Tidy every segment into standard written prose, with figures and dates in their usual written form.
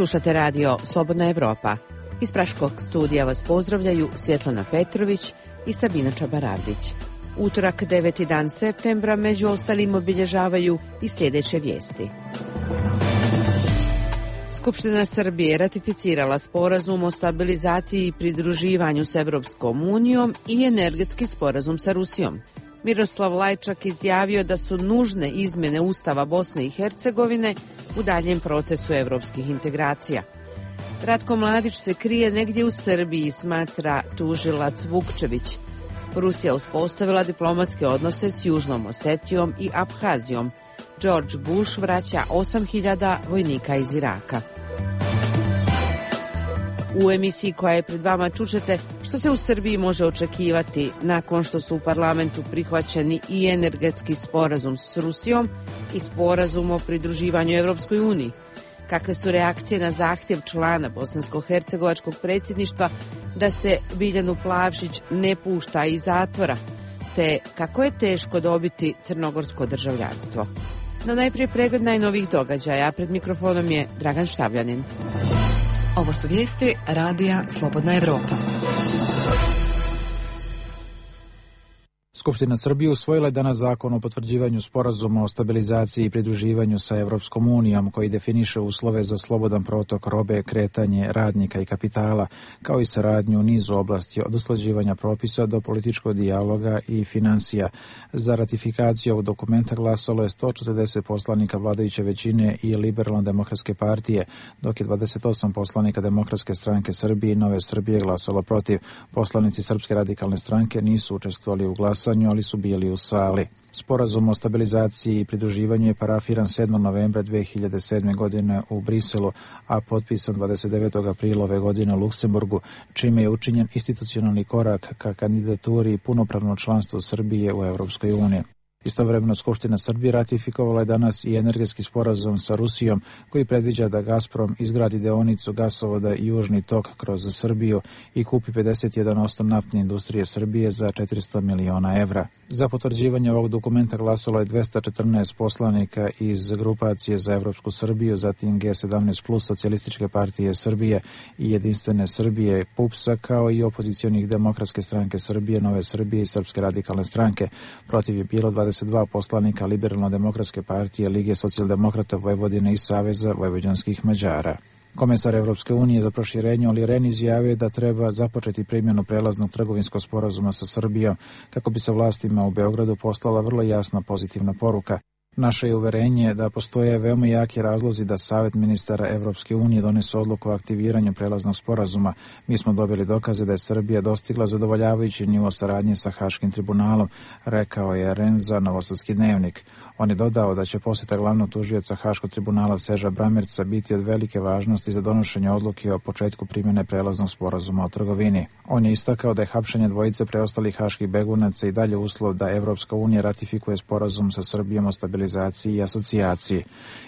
Slušate radio Slobodna Evropa. Iz Praškog studija vas pozdravljaju Svjetlana Petrović i Sabina Čabaravdić. Utorak 9. dan septembra među ostalim obilježavaju i sljedeće vijesti. Skupština Srbije ratificirala sporazum o stabilizaciji i pridruživanju s Evropskom unijom i energetski sporazum sa Rusijom. Miroslav Lajčak izjavio da su nužne izmjene Ustava Bosne i Hercegovine u daljem procesu evropskih integracija. Ratko Mladić se krije negdje u Srbiji, smatra tužilac Vukčević. Rusija uspostavila diplomatske odnose s Južnom Osetijom i Abhazijom. George Bush vraća 8.000 vojnika iz Iraka. U emisiji koja je pred vama čućete što se u Srbiji može očekivati nakon što su u parlamentu prihvaćeni i energetski sporazum s Rusijom i sporazum o pridruživanju Evropskoj uniji. Kakve su reakcije na zahtjev člana bosansko-hercegovačkog predsjedništva da se Biljanu Plavšić ne pušta iz zatvora, te kako je teško dobiti crnogorsko državljanstvo. No najprije pregled najnovijih događaja, pred mikrofonom je Dragan Štavljanin. Ovo su vijesti radija Slobodna Evropa. Skupština Srbije usvojila je danas zakon o potvrđivanju sporazuma o stabilizaciji i pridruživanju sa Evropskom unijom koji definiše uslove za slobodan protok robe, kretanje radnika i kapitala, kao i saradnju u nizu oblasti od usklađivanja propisa do političkog dijaloga i finansija. Za ratifikaciju ovog dokumenta glasalo je 140 poslanika vladajuće većine i Liberalno-demokratske partije, dok je 28 poslanika Demokratske stranke Srbije i Nove Srbije glasalo protiv. Poslanici Srpske radikalne stranke nisu učestvovali u glasanju, ali su bili u sali. Sporazum o stabilizaciji i pridruživanju je parafiran 7. novembra 2007. godine u Briselu, a potpisan 29. aprila ove godine u Luksemburgu, čime je učinjen institucionalni korak ka kandidaturi i punopravno članstvo Srbije u Evropskoj uniji. Istovremeno Skupština Srbije ratifikovala je danas i energetski sporazum sa Rusijom koji predviđa da Gazprom izgradi deonicu gasovoda Južni tok kroz Srbiju i kupi 51% naftne industrije Srbije za 400 miliona evra. Za potvrđivanje ovog dokumenta glasalo je 214 poslanika iz grupacije za Evropsku Srbiju, zatim G17 plus Socijalističke partije Srbije i Jedinstvene Srbije PUPS-a, kao i opozicionih Demokratske stranke Srbije, Nove Srbije i Srpske radikalne stranke. Protiv je bilo 22 poslanika Liberalno-demokratske partije, Lige socijaldemokrata Vojvodine i Saveza vojvođanskih Mađara. Komesar Evropske unije za proširenje Olli Rehn izjavio da treba započeti primjenu prelaznog trgovinskog sporazuma sa Srbijom kako bi se vlastima u Beogradu poslala vrlo jasna pozitivna poruka. Naše je uverenje da postoje veoma jaki razlozi da Savet ministara Evropske unije donese odluku o aktiviranju prelaznog sporazuma. Mi smo dobili dokaze da je Srbija dostigla zadovoljavajući nivo saradnje sa Haškim tribunalom, rekao je Rehn za Novosadski dnevnik. On je dodao da će posjeta glavnog tužioca Haškog tribunala Seža Bramerca biti od velike važnosti za donošenje odluke o početku primjene prelaznog sporazuma o trgovini. On je istakao da je hapšenje dvojice preostalih haških begunaca i dalje uslov da Evropska unija ratifikuje sporazum sa Srbijom o stabilizaciji i asocijaciji.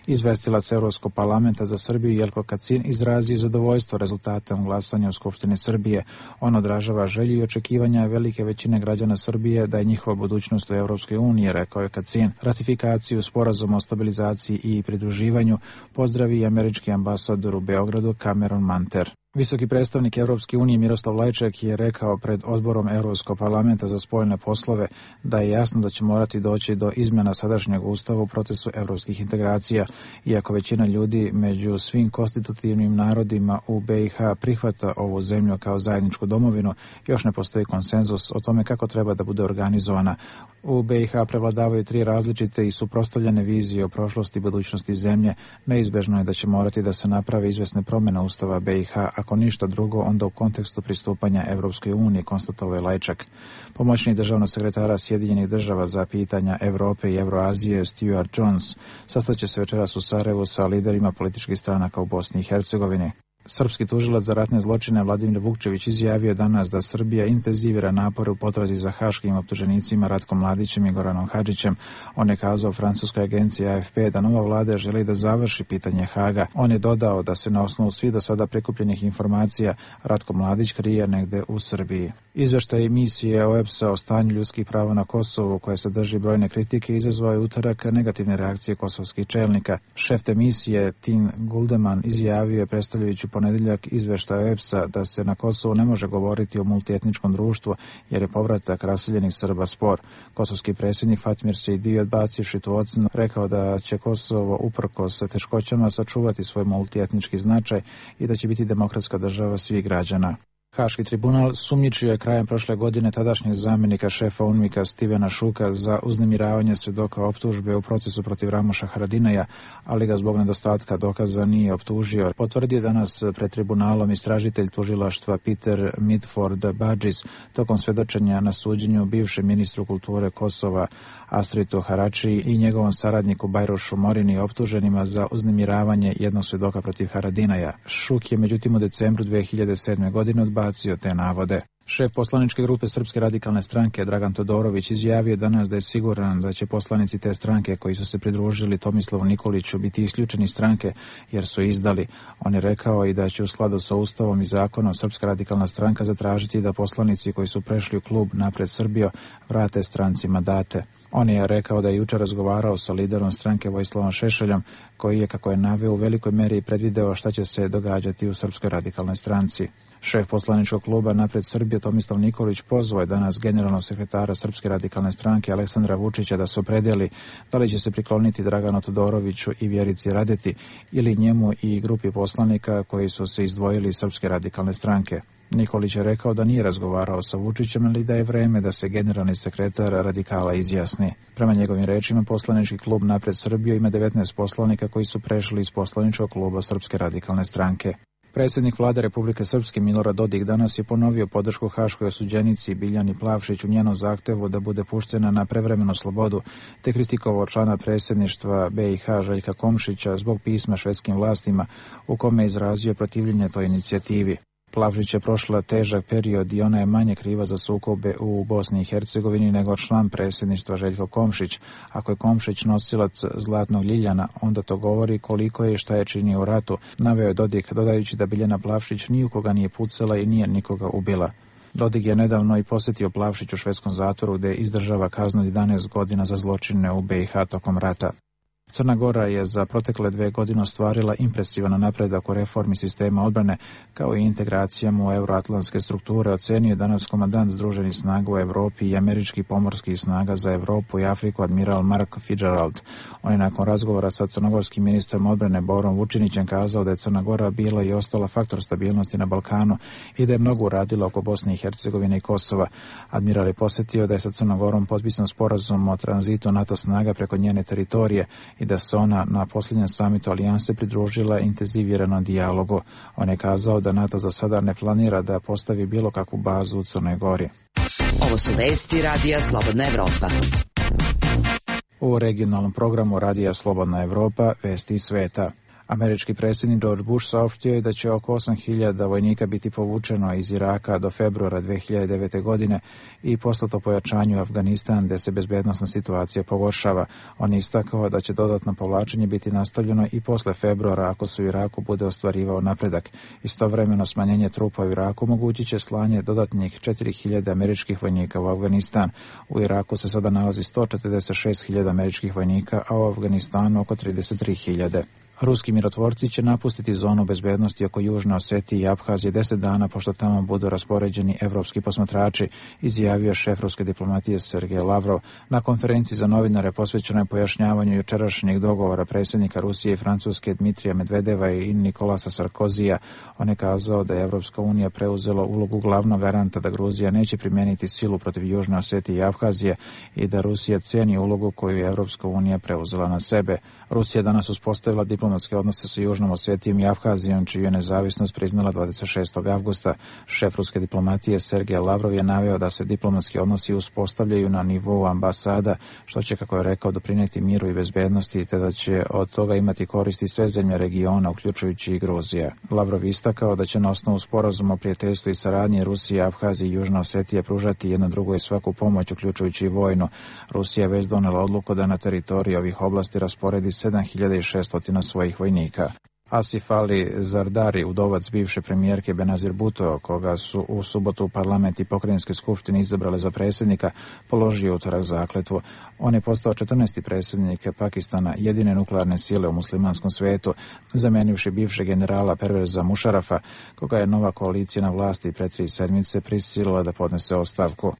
Izvestilac Evropskog parlamenta za Srbiju Jelko Kacin izrazio zadovoljstvo rezultatom glasanja u Skupštini Srbije. On odražava želju i očekivanja velike većine građana Srbije da je njihova budućnost u Evropskoj uniji, rekao je Kacin. Ratifikaciju sporazuma o stabilizaciji i pridruživanju pozdravi i američki ambasador u Beogradu Cameron Manter. Visoki predstavnik Evropske unije Miroslav Lajčak je rekao pred odborom Evropskog parlamenta za spoljne poslove da je jasno da će morati doći do izmjena sadašnjeg ustava u procesu evropskih integracija. Iako većina ljudi među svim konstitutivnim narodima u BiH prihvata ovu zemlju kao zajedničku domovinu, još ne postoji konsenzus o tome kako treba da bude organizovana. U BiH prevladavaju 3 različite i suprotstavljene vizije o prošlosti i budućnosti zemlje. Neizbežno je da će morati da se naprave izvesne promjene ustava BiH, ako ništa drugo, onda u kontekstu pristupanja Evropskoj uniji, konstatovao je Lajčak. Pomoćnik državnog sekretara Sjedinjenih država za pitanja Evrope i Evroazije Stuart Jones sastaće se večeras u Sarajevu sa liderima političkih stranaka u Bosni i Hercegovini. Srpski tužilac za ratne zločine Vladimir Vukčević izjavio danas da Srbija intenzivira napore u potrazi za haškim optuženicima Ratkom Mladićem i Goranom Hadžićem. On je kazao francuskoj agenciji AFP da nova vlada želi da završi pitanje Haga. On je dodao da se na osnovu svih do sada prikupljenih informacija Ratko Mladić krije negde u Srbiji. Izveštaj misije OEBS-a o stanju ljudskih prava na Kosovu, koje sadrži brojne kritike, izazvao je utorak negativne reakcije kosovskih čelnika. Šef te misije Tin Guldeman izjavio je predstavljajući ponedjeljak izveštaj OEBS-a da se na Kosovu ne može govoriti o multietničkom društvu jer je povratak raseljenih Srba spor. Kosovski predsjednik Fatmir Sejdi, odbacivši tu ocenu, rekao da će Kosovo uprkos sa teškoćama sačuvati svoj multietnički značaj i da će biti demokratska država svih građana. Haški tribunal sumnjičio je krajem prošle godine tadašnjeg zamjenika šefa UNMIK-a Stevena Šuka za uznemiravanje svjedoka optužbe u procesu protiv Ramoša Haradinaja, ali ga zbog nedostatka dokaza nije optužio. Potvrdio danas pred tribunalom istražitelj tužilaštva Peter Mitford Badžis tokom svjedočenja na suđenju bivšem ministru kulture Kosova Astritu Harači i njegovom saradniku Bajrošu Morini optuženima za uznemiravanje jednog svjedoka protiv Haradinaja. Šuk je međutim u decembru 2007. godine odbacio te navode. Šef poslaničke grupe Srpske radikalne stranke Dragan Todorović izjavio danas da je siguran da će poslanici te stranke koji su se pridružili Tomislavu Nikoliću biti isključeni iz stranke jer su izdali. On je rekao i da će u skladu sa Ustavom i zakonom Srpska radikalna stranka zatražiti da poslanici koji su prešli u klub Napred Srbijo vrate stranci mandate. On je rekao da je jučer razgovarao sa liderom stranke Vojislavom Šešeljom, koji je, kako je naveo, u velikoj meri predvideo šta će se događati u Srpskoj radikalnoj stranci. Šef poslaničkog kluba Napred Srbije Tomislav Nikolić pozvao je danas generalnog sekretara Srpske radikalne stranke Aleksandra Vučića da se opredeli da li će se prikloniti Draganu Todoroviću i Vjerici Radeti ili njemu i grupi poslanika koji su se izdvojili iz Srpske radikalne stranke. Nikolić je rekao da nije razgovarao sa Vučićem, ali da je vreme da se generalni sekretar radikala izjasni. Prema njegovim rečima, poslanički klub Napred Srbije ima 19 poslanika koji su prešli iz poslaničkog kluba Srpske radikalne stranke. Predsjednik vlade Republike Srpske Milorad Dodik danas je ponovio podršku haškoj osuđenici Biljani Plavšić u njenom zahtevu da bude puštena na prevremenu slobodu, te kritikovao člana predsjedništva BiH Željka Komšića zbog pisma švedskim vlastima u kome je izrazio protivljenje toj inicijativi. Plavšić je prošla težak period i ona je manje kriva za sukobe u Bosni i Hercegovini nego član predsjedništva Željko Komšić. Ako je Komšić nosilac zlatnog ljiljana, onda to govori koliko je i šta je činio u ratu, naveo je Dodik, dodajući da Biljana Plavšić ni u koga nije pucala i nije nikoga ubila. Dodik je nedavno i posjetio Plavšić u švedskom zatvoru gdje izdržava kaznu 11 godina za zločine u BiH tokom rata. Crna Gora je za protekle 2 godine ostvarila impresivan napredak u reformi sistema odbrane kao i integracijama u euroatlantske strukture, ocenio je danas komandant Združenih snaga u Europi i američkih pomorskih snaga za Europu i Afriku admiral Mark Fitzgerald. On je nakon razgovora sa crnogorskim ministrom odbrane Borom Vučinićem kazao da je Crna Gora bila i ostala faktor stabilnosti na Balkanu i da je mnogo uradila oko Bosne i Hercegovine i Kosova. Admiral je posjetio da je sa Crnom Gorom potpisan sporazum o tranzitu NATO snaga preko njene teritorije i da se ona na posljednjem samitu alijanse pridružila intenziviranom dijalogu. On je kazao da NATO za sada ne planira da postavi bilo kakvu bazu u Crnoj Gori. Ovo su vesti Radija Slobodna Evropa. U regionalnom programu Radija Slobodna Evropa vesti iz sveta. Američki predsjednik George Bush saopštio je da će oko 8.000 vojnika biti povučeno iz Iraka do februara 2009. godine i poslato pojačanju Afganistan gdje se bezbednosna situacija pogoršava. On je istakao da će dodatno povlačenje biti nastavljeno i posle februara ako se u Iraku bude ostvarivao napredak. Istovremeno smanjenje trupa u Iraku omogućit će slanje dodatnih 4.000 američkih vojnika u Afganistan. U Iraku se sada nalazi 146.000 američkih vojnika, a u Afganistanu oko 33.000. Ruski mirotvorci će napustiti zonu bezbednosti oko Južne Osetije i Abhazije 10 dana pošto tamo budu raspoređeni evropski posmatrači, izjavio šef ruske diplomatije Sergej Lavrov. Na konferenciji za novinare posvećenoj pojašnjavanju jučerašnjeg dogovora predsjednika Rusije i Francuske Dmitrija Medvedeva i Nikolasa Sarkozija, on je kazao da je Evropska unija preuzela ulogu glavnog garanta da Gruzija neće primijeniti silu protiv Južne Osetije i Abhazije i da Rusija cijeni ulogu koju je Evropska unija preuzela na sebe. Rusija danas uspostavila diplomatiju diplomatske odnose sa Južnom Osetijom i Abhazijom, čiju je nezavisnost priznala 26. avgusta. Šef ruske diplomatije Sergej Lavrov je naveo da se diplomatski odnosi uspostavljaju na nivou ambasada, što će, kako je rekao, doprinijeti miru i bezbednosti, te da će od toga imati koristi sve zemlje regiona, uključujući i Gruzija. Lavrov istakao da će na osnovu sporazuma o prijateljstvu i saradnji Rusija, Abhazija i Južna Osetija pružati jedna drugoj svaku pomoć, uključujući i vojnu. Rusija je već donela odluku da na teritoriji ovih oblasti rasporedi 7600 svojih vojnika. Asif Ali Zardari, udovac bivše premijerke Benazir Bhutto, koga su u subotu parlament i pokrajinske skupštine izabrale za predsjednika, položio utorak zakletvu. On je postao 14. predsjednik Pakistana, jedine nuklearne sile u muslimanskom svijetu, zamenivši bivšeg generala Perveza Mušarafa, koga je nova koalicija na vlasti pre 3 sedmice prisilila da podnese ostavku.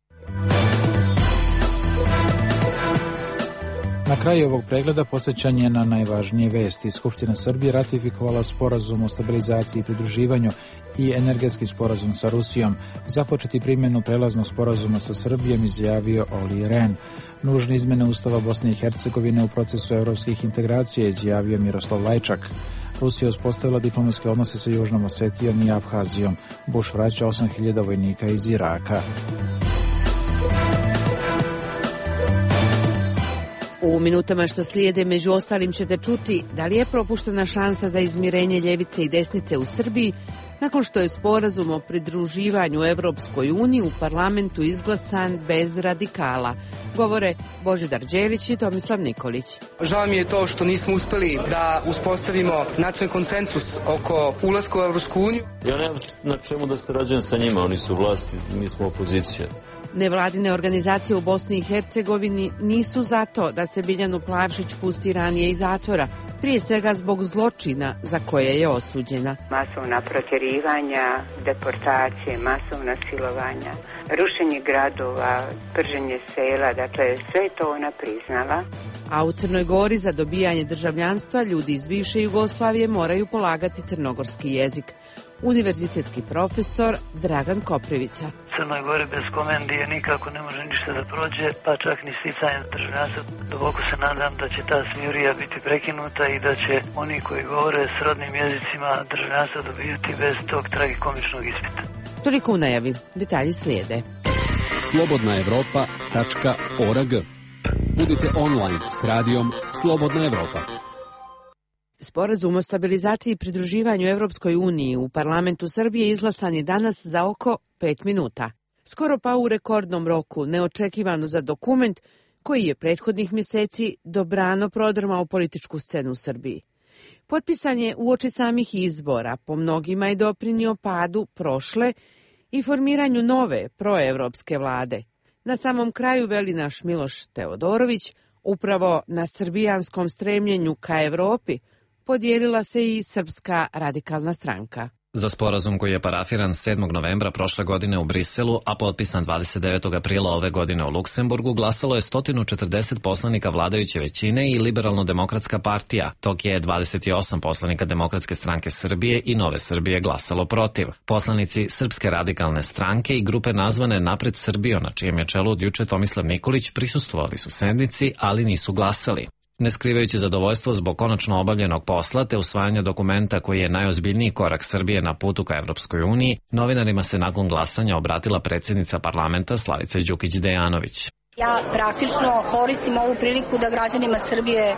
Na kraju ovog pregleda posjećanje na najvažnije vesti. Skupština Srbije ratifikovala sporazum o stabilizaciji i pridruživanju i energetski sporazum sa Rusijom. Započeti primjenu prelaznog sporazuma sa Srbijom izjavio Olli Rehn. Nužne izmene Ustava Bosne i Hercegovine u procesu europskih integracija izjavio Miroslav Lajčak. Rusija uspostavila diplomatske odnose sa Južnom Osetijom i Abhazijom. Bush vraća 8000 vojnika iz Iraka. U minutama što slijede, među ostalim, ćete čuti da li je propuštena šansa za izmirenje ljevice i desnice u Srbiji nakon što je sporazum o pridruživanju Evropskoj uniji u parlamentu izglasan bez radikala. Govore Božidar Đelić i Tomislav Nikolić. Žao mi je to što nismo uspeli da uspostavimo nacionalni konsensus oko ulaska u Evropsku uniju. Ja nemam na čemu da sarađujem sa njima, oni su vlasti, mi smo opozicija. Nevladine organizacije u Bosni i Hercegovini nisu zato da se Biljanu Plavšić pusti ranije iz zatvora, prije svega zbog zločina za koje je osuđena. Masovna protjerivanja, deportacije, masovna silovanja, rušenje gradova, prženje sela, dakle sve to ona priznala. A u Crnoj Gori za dobijanje državljanstva ljudi iz bivše Jugoslavije moraju polagati crnogorski jezik. Univerzitetski profesor Dragan Koprivica. Crnoj Gori bez komendije nikako ne može ništa da prođe, pa čak ni sticanje državljanstva. Duboko se nadam da će ta smjurija biti prekinuta i da će oni koji govore srodnim jezicima državljanstva dobijati bez tog tragikomičnog ispita. Toliko u najavi. Detalji slijede. slobodnaevropa.org. Budite online s radijom Slobodna Evropa. Sporazum o stabilizaciji i pridruživanju Evropskoj uniji u parlamentu Srbije izglasan je danas za oko 5 minuta. Skoro pa u rekordnom roku, neočekivano za dokument koji je prethodnih mjeseci dobrano prodrmao političku scenu u Srbiji. Potpisan je uoči samih izbora, po mnogima je doprinio padu prošle i formiranju nove proevropske vlade. Na samom kraju, veli naš Miloš Teodorović, upravo na srbijanskom stremljenju ka Evropi podijelila se i Srpska radikalna stranka. Za sporazum koji je parafiran 7. novembra prošle godine u Briselu, a potpisan 29. aprila ove godine u Luksemburgu, glasalo je 140 poslanika vladajuće većine i Liberalno-demokratska partija, dok je 28 poslanika Demokratske stranke Srbije i Nove Srbije glasalo protiv. Poslanici Srpske radikalne stranke i grupe nazvane Napred Srbijo, na čijem je čelu od juče Tomislav Nikolić, prisustvovali su sednici, ali nisu glasali. Ne skrivajući zadovoljstvo zbog konačno obavljenog posla te usvajanja dokumenta koji je najozbiljniji korak Srbije na putu ka Evropskoj uniji, novinarima se nakon glasanja obratila predsjednica parlamenta Slavica Đukić Dejanović. Ja praktično koristim ovu priliku da građanima Srbije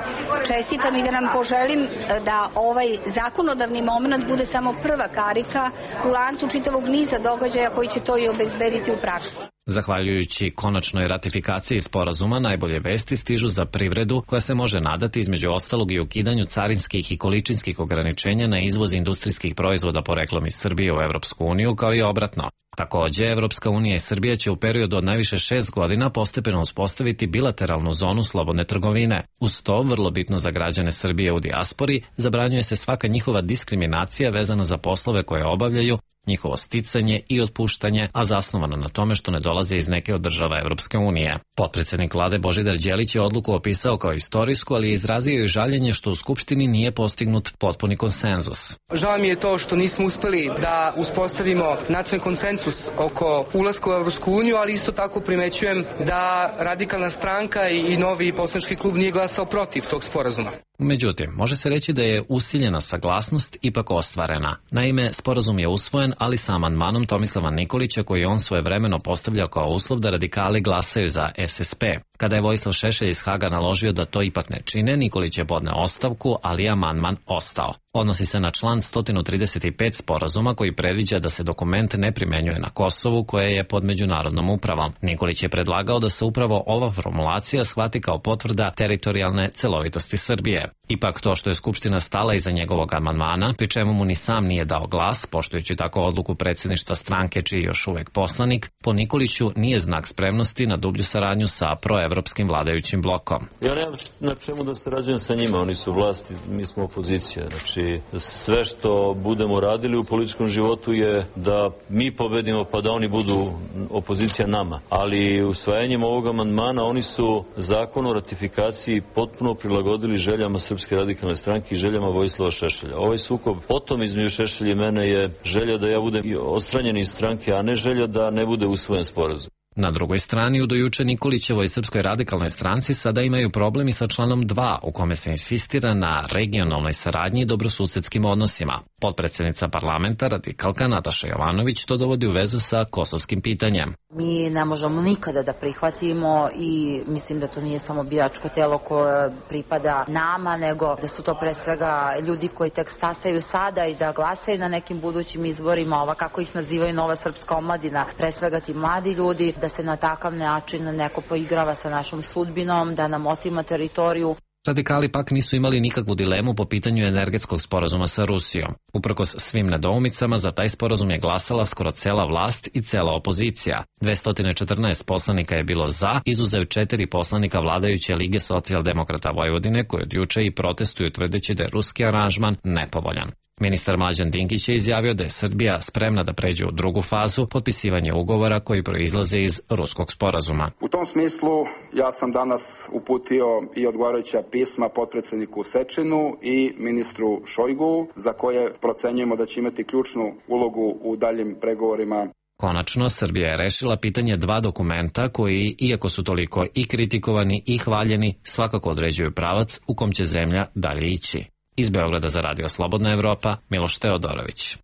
čestitam i da nam poželim da ovaj zakonodavni moment bude samo prva karika u lancu čitavog niza događaja koji će to i obezbediti u praksi. Zahvaljujući konačnoj ratifikaciji sporazuma, najbolje vesti stižu za privredu koja se može nadati između ostalog i ukidanju carinskih i količinskih ograničenja na izvoz industrijskih proizvoda poreklom iz Srbije u Evropsku uniju, kao i obratno. Takođe, Evropska unija i Srbija će u periodu od najviše 6 godina postepeno uspostaviti bilateralnu zonu slobodne trgovine. Uz to, vrlo bitno za građane Srbije u dijaspori, zabranjuje se svaka njihova diskriminacija vezana za poslove koje obavljaju, njihovo sticanje i otpuštanje, a zasnovano na tome što ne dolaze iz neke od država Evropske unije. Potpredsjednik vlade Božidar Đelić je odluku opisao kao istorijsku, ali je izrazio i žaljenje što u Skupštini nije postignut potpuni konsenzus. Žao mi je to što nismo uspeli da uspostavimo nacionalni konsensus oko ulaska u Evropsku uniju, ali isto tako primećujem da radikalna stranka i novi poslanički klub nije glasao protiv tog sporazuma. Međutim, može se reći da je usiljena saglasnost ipak ostvarena. Naime, sporazum je usvojen, ali sa amandmanom Tomislava Nikolića koji on svojevremeno postavljao kao uslov da radikali glasaju za SSP. Kada je Vojislav Šešelj iz Haga naložio da to ipak ne čine, Nikolić je podneo ostavku, ali je amandman ostao. Odnosi se na član 135 sporazuma koji predviđa da se dokument ne primenjuje na Kosovu koje je pod međunarodnom upravom. Nikolić je predlagao da se upravo ova formulacija shvati kao potvrda teritorijalne celovitosti Srbije. Ipak to što je Skupština stala iza njegovog amandmana, pri čemu mu ni sam nije dao glas, poštujući tako odluku predsjedništva stranke čiji je još uvek poslanik, po Nikoliću nije znak spremnosti na dublju saradnju sa proevropskim vladajućim blokom. Ja nemam na čemu da sarađujem sa njima, oni su vlasti, mi smo opozicija. Znači, sve što budemo radili u političkom životu je da mi pobedimo pa da oni budu opozicija nama. Ali usvajanjem ovog amandmana oni su zakon o ratifikaciji potpuno prilagodili željama Srpske radikalne stranke i željama Vojislava Šešelja. Ovaj sukob potom između Šešelja i mene je želja da ja budem odstranjen iz stranke, a ne želja da ne bude usvojen sporazum. Na drugoj strani, u dojuče Nikolićevoj Srpskoj radikalnoj stranci sada imaju problemi sa članom 2, u kome se insistira na regionalnoj saradnji i dobrosusedskim odnosima. Potpredsjednica parlamenta, radikalka Nataša Jovanović, to dovodi u vezu sa kosovskim pitanjem. Mi ne možemo nikada da prihvatimo i mislim da to nije samo biračko telo koje pripada nama, nego da su to pre svega ljudi koji tek stasaju sada i da glasaju na nekim budućim izborima, ova kako ih nazivaju nova srpska omladina, pre svega ti mladi ljudi, da se na takav način neko poigrava sa našom sudbinom, da nam otima teritoriju. Radikali pak nisu imali nikakvu dilemu po pitanju energetskog sporazuma sa Rusijom. Uprkos svim nedoumicama, za taj sporazum je glasala skoro cela vlast i cela opozicija. 214 poslanika je bilo za, izuzev 4 poslanika vladajuće Lige socijaldemokrata Vojvodine, koji od juče i protestuju tvrdeći da je ruski aranžman nepovoljan. Ministar Mlađan Dinkić je izjavio da je Srbija spremna da pređe u drugu fazu, potpisivanje ugovora koji proizlaze iz ruskog sporazuma. U tom smislu ja sam danas uputio i odgovarajuća pisma potpredsjedniku Sečinu i ministru Šojgu, za koje procenjujemo da će imati ključnu ulogu u daljim pregovorima. Konačno, Srbija je rešila pitanje 2 dokumenta koji, iako su toliko i kritikovani i hvaljeni, svakako određuju pravac u kom će zemlja dalje ići. Iz Beograda za Radio Slobodna Evropa, Miloš Teodorović.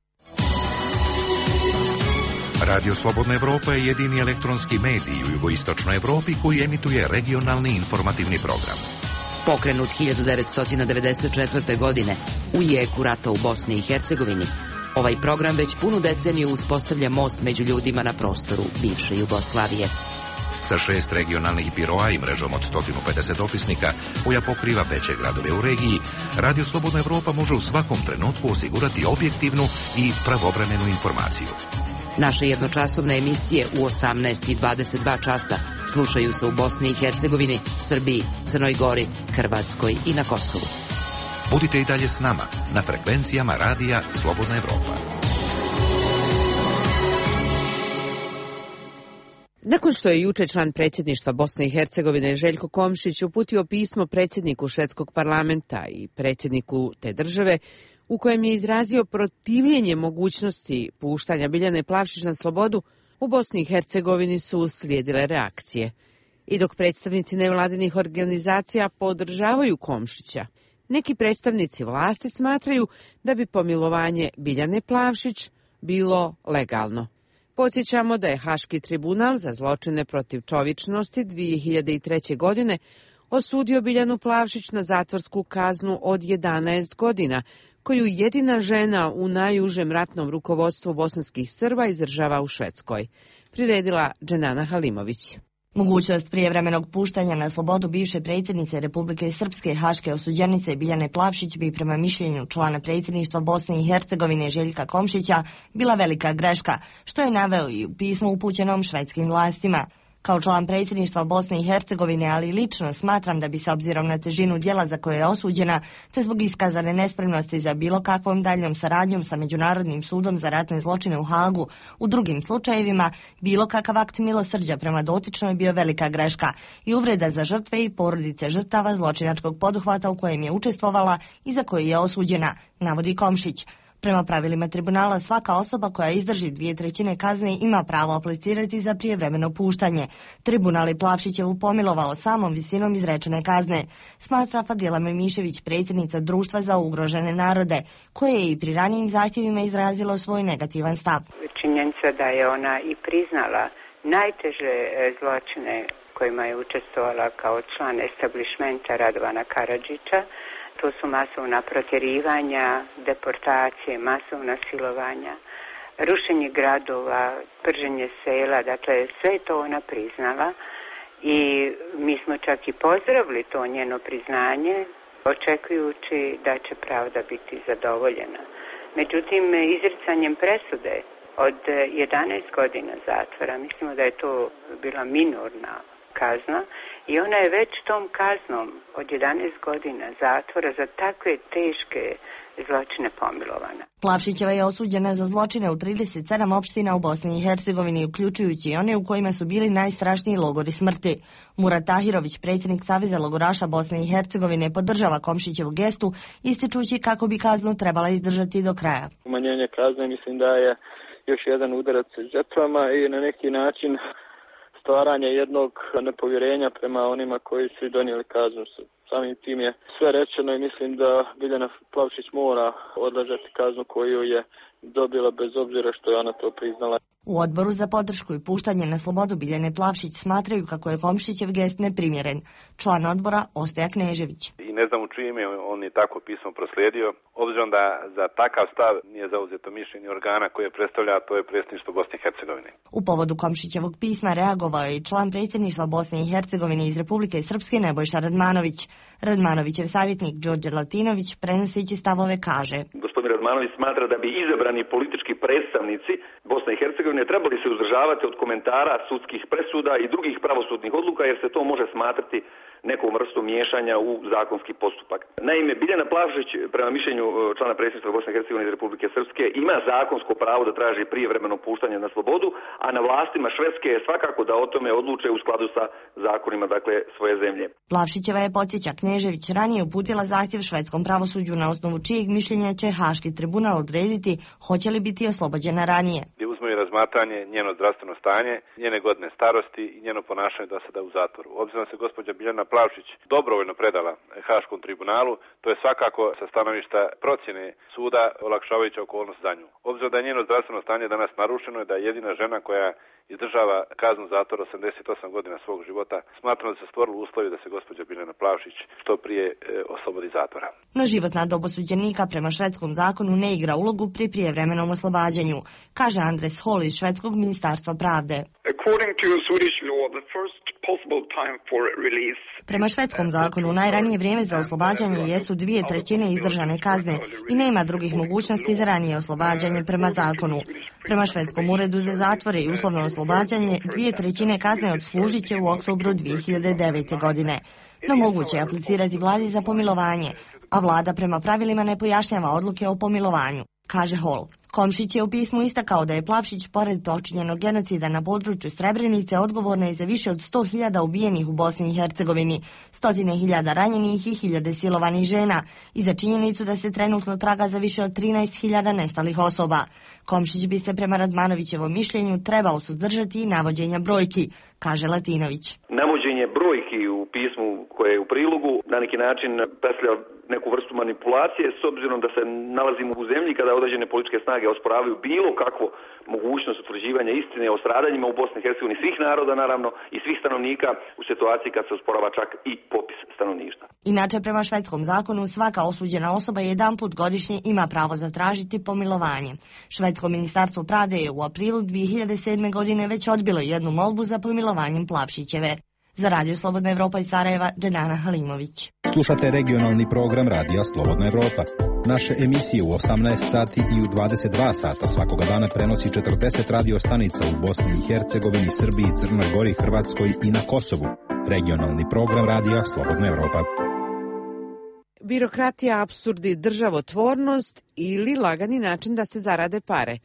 Radio Slobodna Evropa je jedini elektronski medij u jugoistočnoj Evropi koji emituje regionalni informativni program. Pokrenut 1994. godine u jeku rata u Bosni i Hercegovini, ovaj program već punu deceniju uspostavlja most među ljudima na prostoru bivše Jugoslavije. Sa 6 regionalnih biroa i mrežom od 150 dopisnika koja pokriva veće gradove u regiji, Radio Slobodna Evropa može u svakom trenutku osigurati objektivnu i pravovremenu informaciju. Naše jednočasovne emisije u 18 i 22 časa slušaju se u Bosni i Hercegovini, Srbiji, Crnoj Gori, Hrvatskoj i na Kosovu. Budite i dalje s nama na frekvencijama Radija Slobodna Evropa. Nakon što je juče član predsjedništva Bosne i Hercegovine Željko Komšić uputio pismo predsjedniku švedskog parlamenta i predsjedniku te države, u kojem je izrazio protivljenje mogućnosti puštanja Biljane Plavšić na slobodu, u Bosni i Hercegovini su uslijedile reakcije. I dok predstavnici nevladinih organizacija podržavaju Komšića, neki predstavnici vlasti smatraju da bi pomilovanje Biljane Plavšić bilo legalno. Podsjećamo da je Haški tribunal za zločine protiv čovječnosti 2003. godine osudio Biljanu Plavšić na zatvorsku kaznu od 11 godina, koju jedina žena u najužem ratnom rukovodstvu bosanskih Srba izdržava u Švedskoj, priredila Dženana Halimović. Mogućnost prijevremenog puštanja na slobodu bivše predsjednice Republike Srpske haške osuđenice Biljane Plavšić bi prema mišljenju člana predsjedništva Bosne i Hercegovine Željka Komšića bila velika greška, što je naveo i u pismu upućenom švedskim vlastima. Kao član predsjedništva Bosne i Hercegovine, ali lično smatram da bi se obzirom na težinu djela za koje je osuđena, te zbog iskazane nespremnosti za bilo kakvom daljom saradnjom sa Međunarodnim sudom za ratne zločine u Hagu, u drugim slučajevima, bilo kakav akt milosrđa prema dotičnoj bio velika greška i uvreda za žrtve i porodice žrtava zločinačkog poduhvata u kojem je učestvovala i za koji je osuđena, navodi Komšić. Prema pravilima tribunala, svaka osoba koja izdrži 2/3 kazne ima pravo aplicirati za prijevremeno puštanje. Tribunal je Plavšićevu pomilovao samom visinom izrečene kazne, smatra Fadila Memišević, predsjednica Društva za ugrožene narode, koje je i pri ranijim zahtjevima izrazilo svoj negativan stav. Činjenica da je ona i priznala najteže zločine kojima je učestvovala kao član establišmenta Radovana Karadžića. To su masovna protjerivanja, deportacije, masovna silovanja, rušenje gradova, prženje sela, dakle sve je to ona priznala i mi smo čak i pozdravili to njeno priznanje, očekujući da će pravda biti zadovoljena. Međutim, izricanjem presude od 11 godina zatvora, mislimo da je to bila minorna kazna i ona je već tom kaznom od 11 godina zatvora za takve teške zločine pomilovana. Plavšićeva je osuđena za zločine u 37 opština u Bosni i Hercegovini, uključujući i one u kojima su bili najstrašniji logori smrti. Murat Tahirović, predsjednik Saveza logoraša Bosne i Hercegovine, podržava Komšićevu gestu, ističući kako bi kaznu trebala izdržati do kraja. Umanjenje kazne mislim da je još jedan udarac žrtvama i na neki način stvaranje jednog nepovjerenja prema onima koji su donijeli kaznu. Samim tim je sve rečeno i mislim da Biljana Plavšić mora odležati kaznu koju je dobila bez obzira što je ona to priznala. U odboru za podršku i puštanje na slobodu Biljane Plavšić smatraju kako je Komšićev gest neprimjeren. Član odbora Ostoja Knežević. I ne znam u čije ime on je tako pismo proslijedio, obzirom da za takav stav nije zauzeto mišljenje organa koje predstavlja, to je predsjedništvo Bosne i Hercegovine. U povodu Komšićevog pisma reagovao je i član predsjedništva Bosne i Hercegovine iz Republike Srpske Nebojša Radmanović. Radmanovićev savjetnik Đorđe Latinović, prenoseći stavove, kaže: Gospodin Radmanović smatra da bi izabrani politički predstavnici Bosne i Hercegovine trebali se uzdržavati od komentara sudskih presuda i drugih pravosudnih odluka, jer se to može smatrati nekom vrstom miješanja u zakonski postupak. Naime, Biljana Plavšić, prema mišljenju člana predsjedništva Bosne i Hercegovine iz Republike Srpske, ima zakonsko pravo da traži prijevremeno puštanje na slobodu, a na vlastima Švedske je svakako da o tome odluče u skladu sa zakonima, dakle, svoje zemlje. Plavšićeva je, podsjeća Knežević, ranije uputila zahtjev švedskom pravosuđu na osnovu čijeg mišljenja će Haški tribunal odrediti hoće li biti oslobođena ranije. Uzme razmatranje njeno zdravstveno stanje, njene godine starosti i njeno ponašanje do sada u zatvoru. Obzirom se gospođa Biljana Plavšić dobrovoljno predala Haškom tribunalu, to je svakako sa stanovišta procjene suda olakšavajuća okolnost za nju. Obzirom da je njeno zdravstveno stanje danas narušeno i da je jedina žena koja izdržava kaznu zatvora 88 godina svog života, smatram da se stvorili uslovi da se gospođa Biljana Plavšić što prije oslobodi zatvora. No životna dob osuđenika prema švedskom zakonu ne igra ulogu pri prijevremenom oslobađanju, kaže Andres Hol iz švedskog ministarstva pravde. Prema švedskom zakonu najranije vrijeme za oslobađanje jesu 2/3 izdržane kazne i nema drugih mogućnosti za ranije oslobađanje prema zakonu. Prema švedskom uredu za zatvore i uslovno oslobađanje 2/3 kazne odslužit će u oktobru 2009. godine. No moguće je aplicirati vladi za pomilovanje, a vlada prema pravilima ne pojašnjava odluke o pomilovanju, kaže Hol. Komšić je u pismu istakao da je Plavšić, pored počinjenog genocida na području Srebrenice, odgovorna je za više od 100.000 ubijenih u Bosni i Hercegovini, 100.000 ranjenih i 1.000 silovanih žena i za činjenicu da se trenutno traga za više od 13.000 nestalih osoba. Komšić bi se prema Radmanovićevom mišljenju trebao suzdržati i navođenja brojki, kaže Latinović. Navođenje brojki u pismu koje je u prilogu na neki način predstavlja neku vrstu manipulacije, s obzirom da se nalazimo u zemlji kada određene političke snage osporavaju bilo kakvu mogućnost utvrđivanja istine o stradanjima u Bosni i Hercegovini svih naroda, naravno, i svih stanovnika u situaciji kad se osporava čak i popis stanovništva. Inače, prema švedskom zakonu, svaka osuđena osoba jedanput godišnje ima pravo zatražiti pomilovanje. Švedsko ministarstvo pravde je u aprilu 2007. godine već odbilo jednu molbu za pomilovanjem Plavšićeve. Za Radio Slobodna Evropa iz Sarajeva, Dženana Halimović. Slušate regionalni program Radija Slobodna Evropa. Naše emisije u 18 sati i u 22 sata svakoga dana prenosi 40 radio stanica u Bosni i Hercegovini, Srbiji, Crnoj Gori, Hrvatskoj i na Kosovu. Regionalni program Radija Slobodna Evropa. Birokratija, apsurdi, državotvornost ili lagani način da se zarade pare.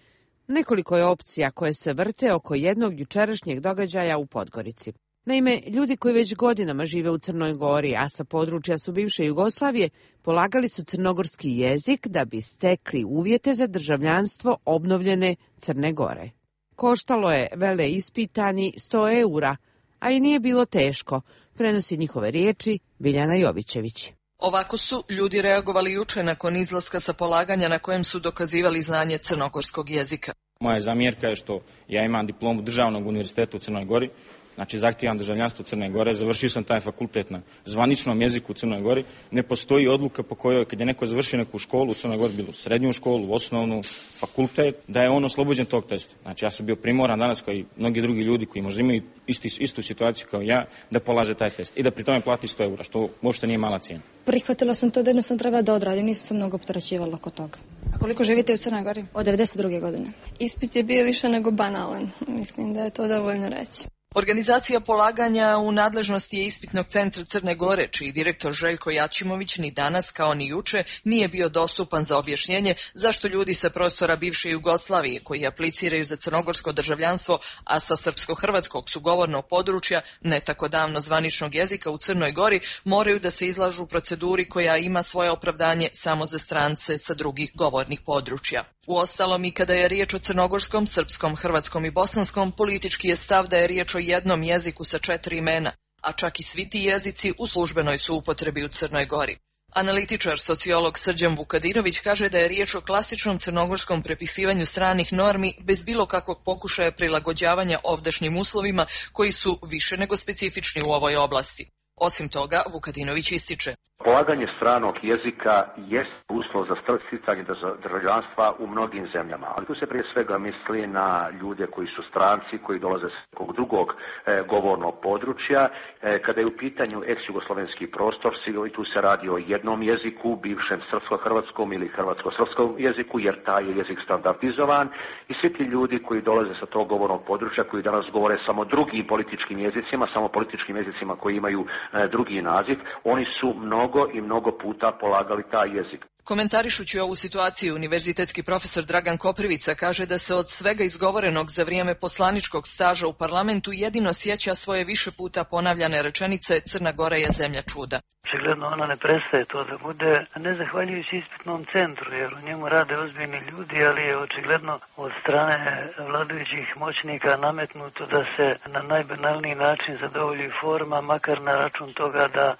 Nekoliko je opcija koje se vrte oko jednog jučerašnjeg događaja u Podgorici. Naime, ljudi koji već godinama žive u Crnoj Gori, a sa područja su bivše Jugoslavije, polagali su crnogorski jezik da bi stekli uvjete za državljanstvo obnovljene Crne Gore. Koštalo je veleispitani 100 eura, a i nije bilo teško, prenosi njihove riječi Biljana Jovićević. Ovako su ljudi reagovali juče nakon izlaska sa polaganja na kojem su dokazivali znanje crnogorskog jezika. Moja zamjerka je što ja imam diplomu Državnog univerziteta u Crnoj Gori, znači zahtijevam državljanstvo Crne Gore, završio sam taj fakultet na zvaničnom jeziku u Crnoj Gori. Ne postoji odluka po kojoj kad je neko završio neku školu u Crnoj Gori, bilo srednju školu, osnovnu, fakultet, da je on oslobođen tog testa. Znači ja sam bio primoran danas kao i mnogi drugi ljudi koji možda imaju istu situaciju kao ja, da polaže taj test i da pri tome plati 100 eura, što uopšte nije mala cijena. Prihvatila sam to da jednostavno treba da odradim, nisam se mnogo opterećivala oko toga. A koliko živite u Crnoj Gori? Od 92. godine. Ispit je bio više nego banalan, mislim da je to dovoljno reći. Organizacija polaganja u nadležnosti je Ispitnog centra Crne Gore, čiji direktor Željko Jačimović ni danas kao ni juče nije bio dostupan za objašnjenje zašto ljudi sa prostora bivše Jugoslavije koji apliciraju za crnogorsko državljanstvo, a sa srpsko-hrvatskog su govornog područja, ne tako davno zvaničnog jezika u Crnoj Gori, moraju da se izlažu proceduri koja ima svoje opravdanje samo za strance sa drugih govornih područja. Uostalom, i kada je riječ o crnogorskom, srpskom, hrvatskom i bosanskom, politički je stav da je riječ o jednom jeziku sa 4 imena, a čak i svi ti jezici u službenoj su upotrebi u Crnoj Gori. Analitičar, sociolog Srđan Vukadinović kaže da je riječ o klasičnom crnogorskom prepisivanju stranih normi bez bilo kakvog pokušaja prilagođavanja ovdašnjim uslovima koji su više nego specifični u ovoj oblasti. Osim toga, Vukadinović ističe: polaganje stranog jezika jest uslov za sticanje državljanstva u mnogim zemljama, ali tu se prije svega misli na ljude koji su stranci, koji dolaze s nekog drugog govornog područja. Kada je u pitanju ex-jugoslovenski prostor, tu se radi o jednom jeziku, bivšem srpsko-hrvatskom ili hrvatsko-srpskom jeziku, jer taj je jezik standardizovan i svi ti ljudi koji dolaze sa tog govornog područja, koji danas govore samo drugim političkim jezicima koji imaju drugi naziv, oni su mnogo puta polagali taj jezik. Komentarišući ovu situaciju, univerzitetski profesor Dragan Koprivica kaže da se od svega izgovorenog za vrijeme poslaničkog staža u parlamentu jedino sjeća svoje više puta ponavljane rečenice Crna Gora je zemlja čuda. Očigledno ona ne prestaje to da bude, ne zahvaljujući ispitnom centru, jer u njemu rade ozbiljni ljudi, ali je očigledno od strane vladajućih moćnika nametnuto da se na najbanalniji način zadovolji forma, makar na račun toga da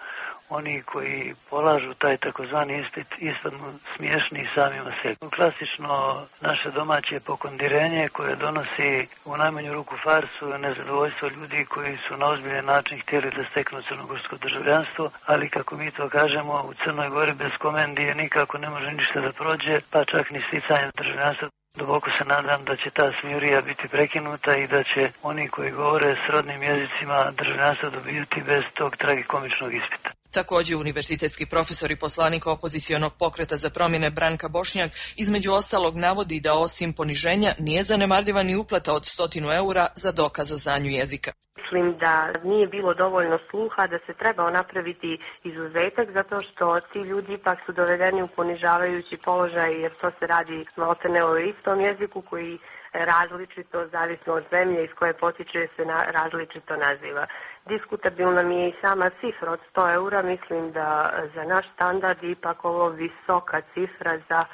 oni koji polažu taj takozvani ispit ispadnu smiješni samima sebi. Klasično naše domaće pokondirenje koje donosi u najmanju ruku farsu, nezadovoljstvo ljudi koji su na ozbiljan način htjeli da steknu crnogorsko državljanstvo, ali kako mi to kažemo, u Crnoj Gori bez komendije nikako ne može ništa da prođe, pa čak ni sticanje državljanstva. Duboko se nadam da će ta smijurija biti prekinuta i da će oni koji govore srodnim jezicima državljanstva dobijati bez tog tragikomičnog ispita. Također, univerzitetski profesor i poslanik opozicionog pokreta za promjene Branka Bošnjak između ostalog navodi da osim poniženja nije zanemarljiva ni uplata od 100 eura za dokaz o znanju jezika. Mislim da nije bilo dovoljno sluha, da se trebao napraviti izuzetak zato što ti ljudi ipak su dovedeni u ponižavajući položaj jer to se radi maltene o istom jeziku koji različito, zavisno od zemlje iz koje potiče se različito naziva. Diskutabilna mi je i sama cifra od 100 eura, mislim da za naš standard je ipak ovo visoka cifra za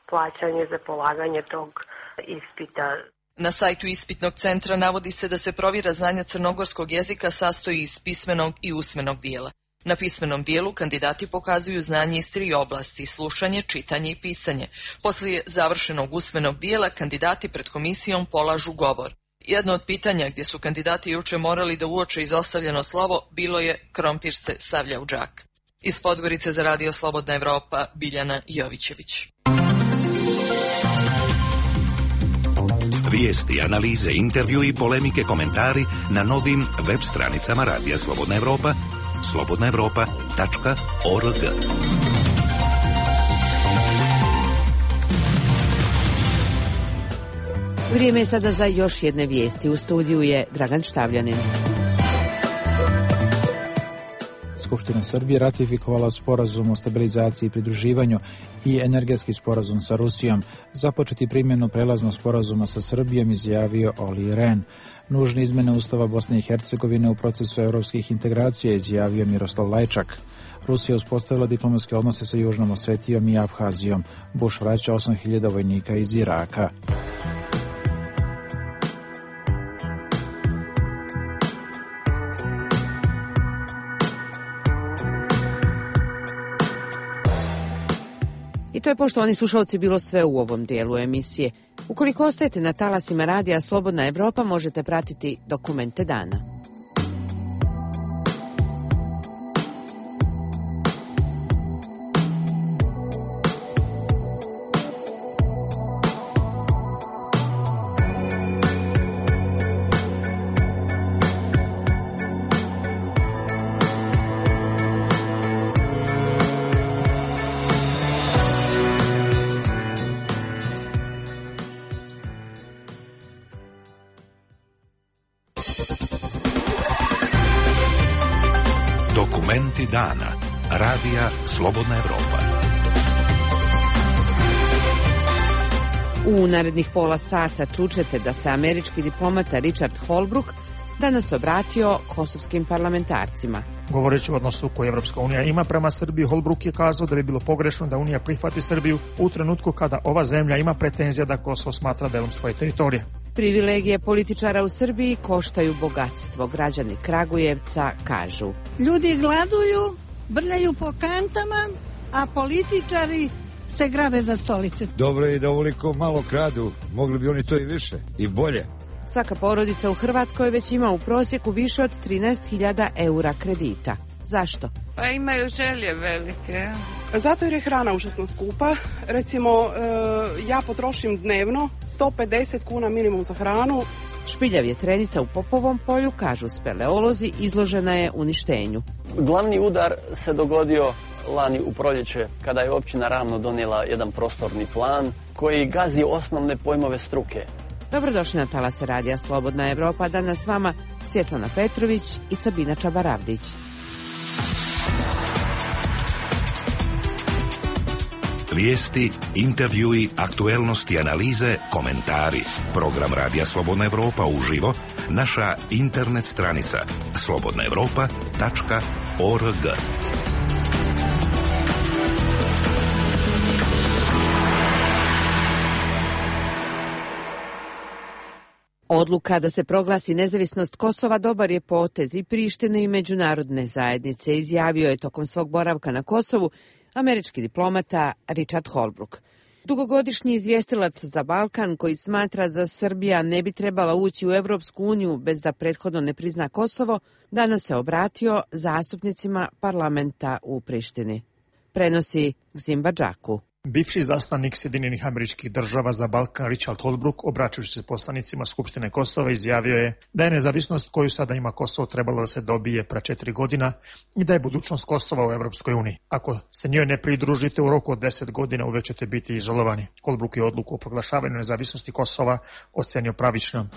plaćanje za polaganje tog ispita. Na sajtu Ispitnog centra navodi se da se provjera znanja crnogorskog jezika sastoji iz pismenog i usmenog dijela. Na pismenom dijelu kandidati pokazuju znanje iz 3 oblasti: slušanje, čitanje i pisanje. Poslije završenog usmenog dijela kandidati pred komisijom polažu govor. Jedno od pitanja gdje su kandidati juče morali da uoče izostavljeno slovo bilo je krompir se stavlja u džak. Iz Podgorice za Radio Slobodna Evropa, Biljana Jovićević. Vijesti, analize, intervju i polemike, komentari na novim web stranicama Radija Slobodna Evropa, slobodnaevropa.org. Vrijeme je sada za još jedne vijesti. U studiju je Dragan Štavljanin. skupština Srbije ratifikovala sporazum o stabilizaciji i pridruživanju i energetski sporazum sa Rusijom. Započeti primjenu prelaznog sporazuma sa Srbijom izjavio Olli Rehn. Nužne izmene Ustava Bosne i Hercegovine u procesu evropskih integracija izjavio Miroslav Lajčak. Rusija uspostavila diplomatske odnose sa Južnom Osetijom i Abhazijom. Bush vraća 8.000 vojnika iz Iraka. I to je, poštovani slušalci, bilo sve u ovom dijelu emisije. Ukoliko ostajete na talasima radija Slobodna Evropa, možete pratiti Dokumente dana. Dokumenti dana. Radija Slobodna Evropa. U narednih pola sata čućete da se američki diplomata Richard Holbrooke danas obratio kosovskim parlamentarcima. Govoreći o odnosu koji Evropska unija ima prema Srbiji, Holbrooke je kazao da bi bilo pogrešno da Unija prihvati Srbiju u trenutku kada ova zemlja ima pretenzija da Kosovo smatra delom svoje teritorije. Privilegije političara u Srbiji koštaju bogatstvo. Građani Kragujevca kažu: ljudi gladuju, brljaju po kantama, a političari se grabe za stolice. Dobro je da ovoliko malo kradu, mogli bi oni to i više i bolje. Svaka porodica u Hrvatskoj već ima u prosjeku više od 13.000 eura kredita. Zašto? Pa imaju želje velike. Zato jer je hrana užasno skupa. Recimo, ja potrošim dnevno 150 kuna minimum za hranu. Špilja vjetrenica u Popovom polju, kažu speleolozi, izložena je uništenju. Glavni udar se dogodio lani u proljeće, kada je općina Ravno donijela jedan prostorni plan koji gazi osnovne pojmove struke. Dobrodošli na talase radija Slobodna Evropa. Danas s vama Svjetlana Petrović i Sabina Čabaravdić. Vijesti, intervjui, aktuelnosti, analize, komentari. Program Radija Slobodna Evropa uživo, naša internet stranica slobodnaevropa.org. Odluka da se proglasi nezavisnost Kosova dobar je potez i Prištine i međunarodne zajednice, izjavio je tokom svog boravka na Kosovu američki diplomata Richard Holbrooke. Dugogodišnji izvjestilac za Balkan, koji smatra da Srbija ne bi trebala ući u Evropsku uniju bez da prethodno ne prizna Kosovo, danas se obratio zastupnicima parlamenta u Prištini. Prenosi Gzimba Džaku. Bivši zaslanik Sjedinjenih Američkih Država za Balkan Richard Holbrooke, obraćajući se poslanicima Skupštine Kosova, izjavio je da je nezavisnost koju sada ima Kosovo trebala da se dobije pre 4 godina i da je budućnost Kosova u Evropskoj uniji. Ako se njoj ne pridružite u roku od 10 godina, uvek ćete biti izolovani. Holbrooke je odluku o proglašavanju nezavisnosti Kosova ocenio pravičnom.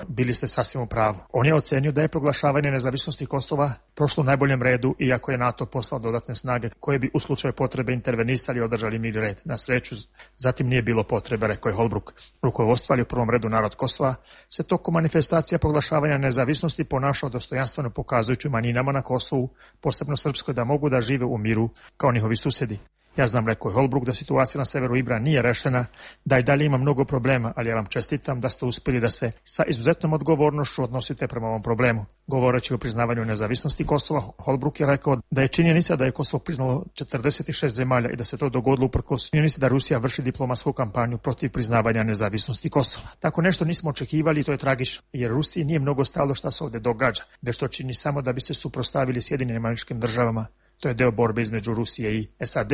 Bili ste sasvim u pravu. On je ocenio da je proglašavanje nezavisnosti Kosova prošlo u najboljem redu, iako je NATO poslao dodatne snage koje bi u slučaju potrebe intervenisali i održali mir i red. Na sreću, zatim nije bilo potrebe, rekao je Holbrooke. Rukovodstvo, ali u prvom redu narod Kosova, se tokom manifestacija proglašavanja nezavisnosti ponašao dostojanstveno, pokazujući manjinama na Kosovu, posebno srpskoj, da mogu da žive u miru kao njihovi susjedi. Ja znam, rekao je Holbrooke, da situacija na severu Ibra nije rešena, da i dalje ima mnogo problema, ali ja vam čestitam da ste uspjeli da se sa izuzetnom odgovornošću odnosite prema ovom problemu. Govoreći o priznavanju nezavisnosti Kosova, Holbrooke je rekao da je činjenica da je Kosovo priznalo 46 zemalja i da se to dogodilo uprkos činjenici da Rusija vrši diplomatsku kampanju protiv priznavanja nezavisnosti Kosova. Tako nešto nismo očekivali i to je tragično, jer Rusiji nije mnogo stalo šta se ovdje događa, već to čini samo da bi se suprotstavili Sjedinjenim Američkim Državama. To je deo borbe između Rusije i SAD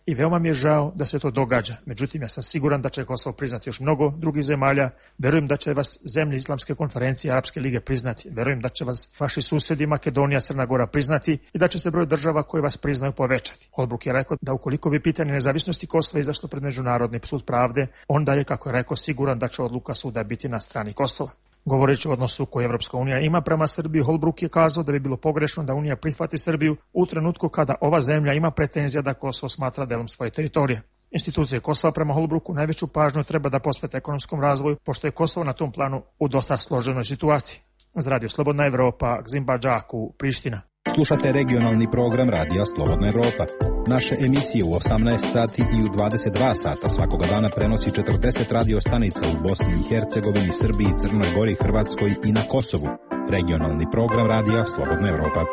i veoma mi je žao da se to događa. Međutim, ja sam siguran da će Kosovo priznati još mnogo drugih zemalja. Verujem da će vas zemlje Islamske konferencije i Arapske lige priznati. Verujem da će vas vaši susjedi Makedonija, Crna Gora priznati i da će se broj država koje vas priznaju povećati. Holbrooke je rekao da ukoliko bi pitanje nezavisnosti Kosova izašlo pred Međunarodni sud pravde, onda je, kako je rekao, siguran da će odluka suda biti na strani Kosova. Govoreći o odnosu koji Evropska unija ima prema Srbiji, Holbruk je kazao da bi bilo pogrešno da Unija prihvati Srbiju u trenutku kada ova zemlja ima pretenzija da Kosovo smatra delom svoje teritorije. Institucije Kosova prema Holbruku najveću pažnju treba da posvete ekonomskom razvoju, pošto je Kosovo na tom planu u dosta složenoj situaciji. Za Radio Slobodna Evropa, Gzimba Džaku, Priština. Slušate regionalni program Radija Slobodna Evropa. Naše emisije u 18 sati i u 22 sata svakoga dana prenosi 40 radio stanica u Bosni i Hercegovini, Srbiji, Crnoj Gori, Hrvatskoj i na Kosovu. Regionalni program Radija Slobodna Evropa.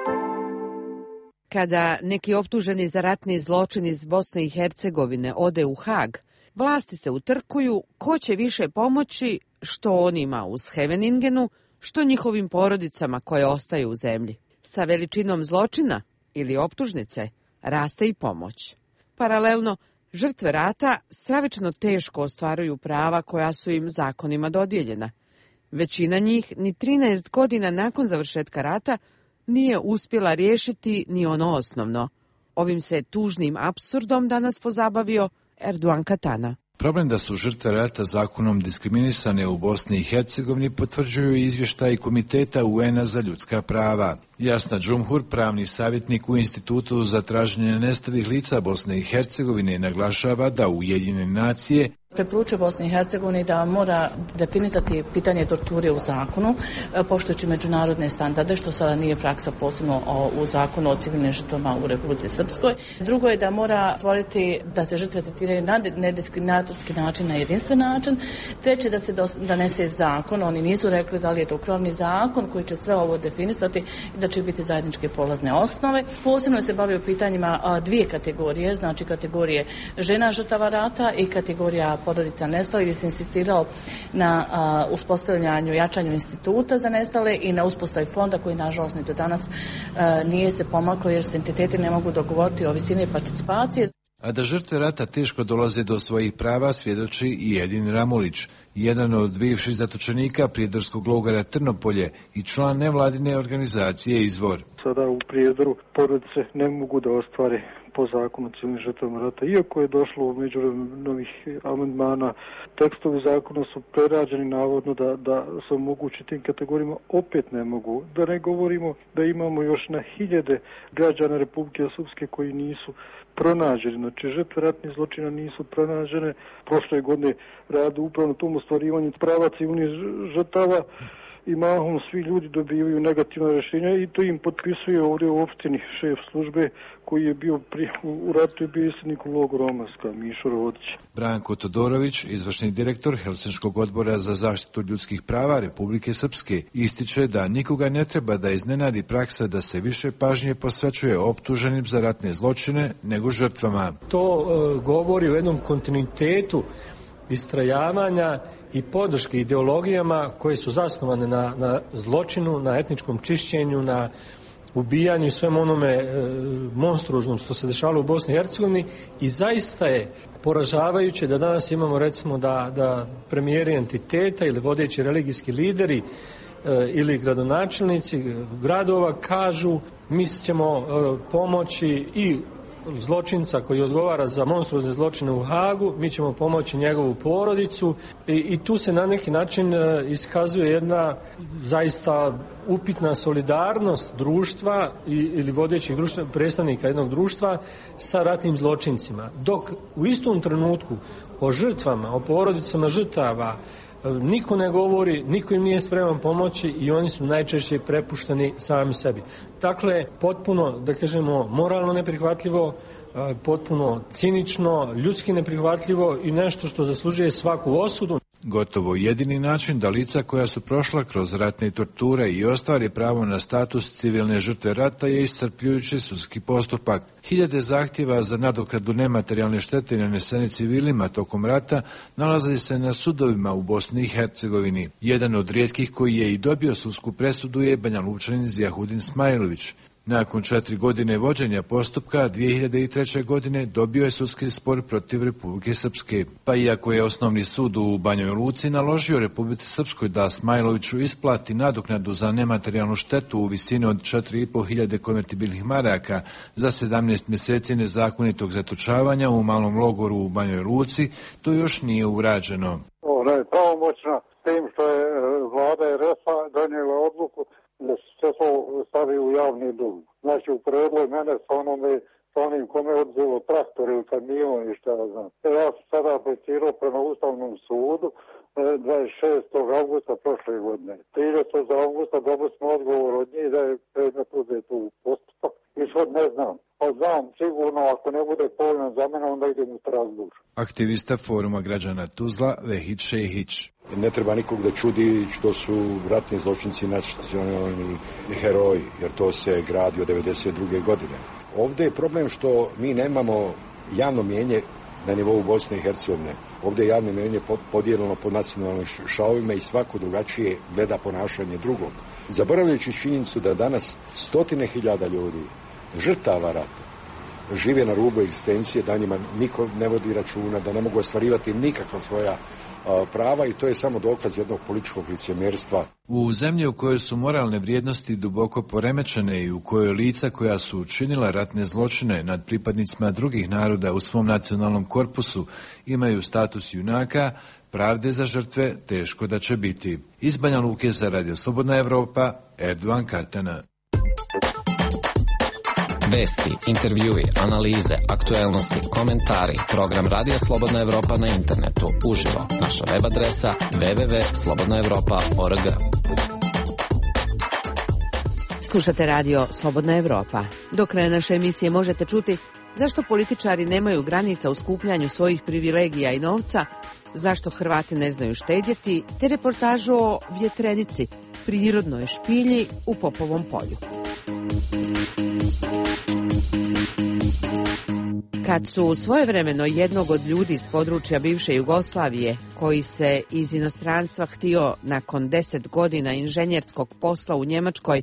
Kada neki optuženi za ratni zločin iz Bosne i Hercegovine ode u Hag, vlasti se utrkuju ko će više pomoći, što onima u Scheveningenu, što njihovim porodicama koje ostaju u zemlji. Sa veličinom zločina ili optužnice raste i pomoć. Paralelno, žrtve rata stravično teško ostvaruju prava koja su im zakonima dodijeljena. Većina njih ni 13 godina nakon završetka rata nije uspjela riješiti ni ono osnovno. Ovim se tužnim apsurdom danas pozabavio Erdogan Katana. Problem da su žrtve rata zakonom diskriminisane u Bosni i Hercegovini potvrđuju izvještaj Komiteta UN-a za ljudska prava. Jasna Džumhur, pravni savjetnik u Institutu za traženje nestalih lica Bosne i Hercegovine, naglašava da Ujedinjene nacije preporučuje Bosni i Hercegovini da mora definisati pitanje torture u zakonu, poštujući međunarodne standarde, što sada nije praksa posebno u zakonu o civilnim žrtvama u Republici Srpskoj. Drugo je da mora stvoriti da se žrtve tretiraju na nediskriminatorski način, na jedinstven način. Treće, da se donese zakon, oni nisu rekli da li je to krovni zakon koji će sve ovo definisati i da će biti zajedničke polazne osnove. Posebno se bavio pitanjima dvije kategorije, znači kategorije žena žrtava rata i kategorija porodica nestalih, gdje se insistiralo na uspostavljanju, jačanju instituta za nestale i na uspostavi fonda koji nažalost ni do danas nije se pomaklo jer se entiteti ne mogu dogovoriti o visini participacije. A da žrtve rata teško dolaze do svojih prava svjedoči i Edin Ramulić, jedan od bivših zatočenika prijedorskog logora Trnopolje i član nevladine organizacije Izvor. Sada u Prijedoru porodice ne mogu da ostvare po zakonu civilnim žrtvama rata. Iako je došlo u međuvremenu novih amandmana, tekstovi zakona su prerađeni navodno da se omogući tim kategorijama, opet ne mogu. Da ne govorimo da imamo još na hiljade građana Republike Srpske koji nisu pronađeni. Znači, žrtve ratnih zločina nisu pronađene. Prošle godine rade upravo na tom ostvarivanju prava civilnih žrtava i mahom svi ljudi dobivaju negativna rješenja i to im potpisuje ovdje u opštini šef službe koji je bio u ratu i bio iselnik u logoru Omarska, Mišo Rovodić. Branko Todorović, izvršni direktor Helsinškog odbora za zaštitu ljudskih prava Republike Srpske, ističe da nikoga ne treba da iznenadi praksa da se više pažnje posvećuje optuženim za ratne zločine nego žrtvama. To govori o jednom kontinuitetu istrajavanja i podrške ideologijama koje su zasnovane na zločinu, na etničkom čišćenju, na ubijanju i svem onome monstruoznom što se dešavalo u Bosni i Hercegovini i zaista je poražavajuće da danas imamo recimo da premijeri entiteta ili vodeći religijski lideri ili gradonačelnici gradova kažu mi ćemo pomoći i zločinca koji odgovara za monstruozne zločine u Hagu, mi ćemo pomoći njegovu porodicu i tu se na neki način iskazuje jedna zaista upitna solidarnost društva ili vodećih predstavnika jednog društva sa ratnim zločincima. Dok u istom trenutku o žrtvama, o porodicama žrtava niko ne govori, niko im nije spreman pomoći i oni su najčešće prepušteni sami sebi. Dakle, potpuno, da kažemo, moralno neprihvatljivo, potpuno cinično, ljudski neprihvatljivo i nešto što zaslužuje svaku osudu. Gotovo jedini način da lica koja su prošla kroz ratne torture i ostvari pravo na status civilne žrtve rata je iscrpljujući sudski postupak. Hiljade zahtjeva za nadoknadu nematerijalne štete nanesene civilima tokom rata nalaze se na sudovima u Bosni i Hercegovini. Jedan od rijetkih koji je i dobio sudsku presudu je Banja Lučanin Zijahudin Smajlović. Nakon 4 godine vođenja postupka, 2003. godine dobio je sudski spor protiv Republike Srpske. Pa iako je osnovni sud u Banjoj Luci naložio Republici Srpskoj da Smajloviću isplati nadoknadu za nematerijalnu štetu u visini od 4.500 konvertibilnih maraka za 17 mjeseci nezakonitog zatočavanja u malom logoru u Banjoj Luci, to još nije urađeno. Ona je pravomoćna s tim što je vlada RF-a donijela odluku da se to stavi u javni dug. Znači uporedilo mene sa onim kome je odzelo traktor ili kamion i šta ja znam. Ja sam sada aplicirao prema Ustavnom sudu 26. augusta prošle godine. 30. augusta dobili smo odgovor od njih da je predmet uzet u postupak. I sad ne znam. Znam sigurno ako ne bude povoljan za mene, onda idem u Strasbourg. Aktivista Foruma građana Tuzla Vehid Šehić. Ne treba nikog da čudi što su ratni zločinci nacionalni heroji, jer to se gradi od 1992. godine. Ovdje je problem što mi nemamo javno mnijenje na nivou Bosne i Hercegovine. Ovdje je javno mnijenje podijeljeno po nacionalnim šavovima i svako drugačije gleda ponašanje drugog. Zaboravljajući činjenicu da danas 100.000 ljudi, žrtava rata, žive na rubu egzistencije, da njima niko ne vodi računa, da ne mogu ostvarivati nikakva svoja prava i to je samo dokaz jednog političkog licemjerstva. U zemlji u kojoj su moralne vrijednosti duboko poremećene i u kojoj lica koja su učinila ratne zločine nad pripadnicima drugih naroda u svom nacionalnom korpusu imaju status junaka, pravde za žrtve teško da će biti. Iz Banja Luke za Radio Slobodna Evropa, Erdogan Katana. Vesti, intervjui, analize, aktuelnosti, komentari. Program Radija Slobodna Evropa na internetu. Uživo. Naša web adresa www.slobodnaevropa.org. Slušate Radio Slobodna Evropa. Do kraja naše emisije možete čuti zašto političari nemaju granica u skupljanju svojih privilegija i novca, zašto Hrvati ne znaju štedjeti, te reportažu o vjetrenici, prirodnoj špilji u Popovom polju. Kad su svojevremeno jednog od ljudi iz područja bivše Jugoslavije, koji se iz inostranstva htio nakon 10 godina inženjerskog posla u Njemačkoj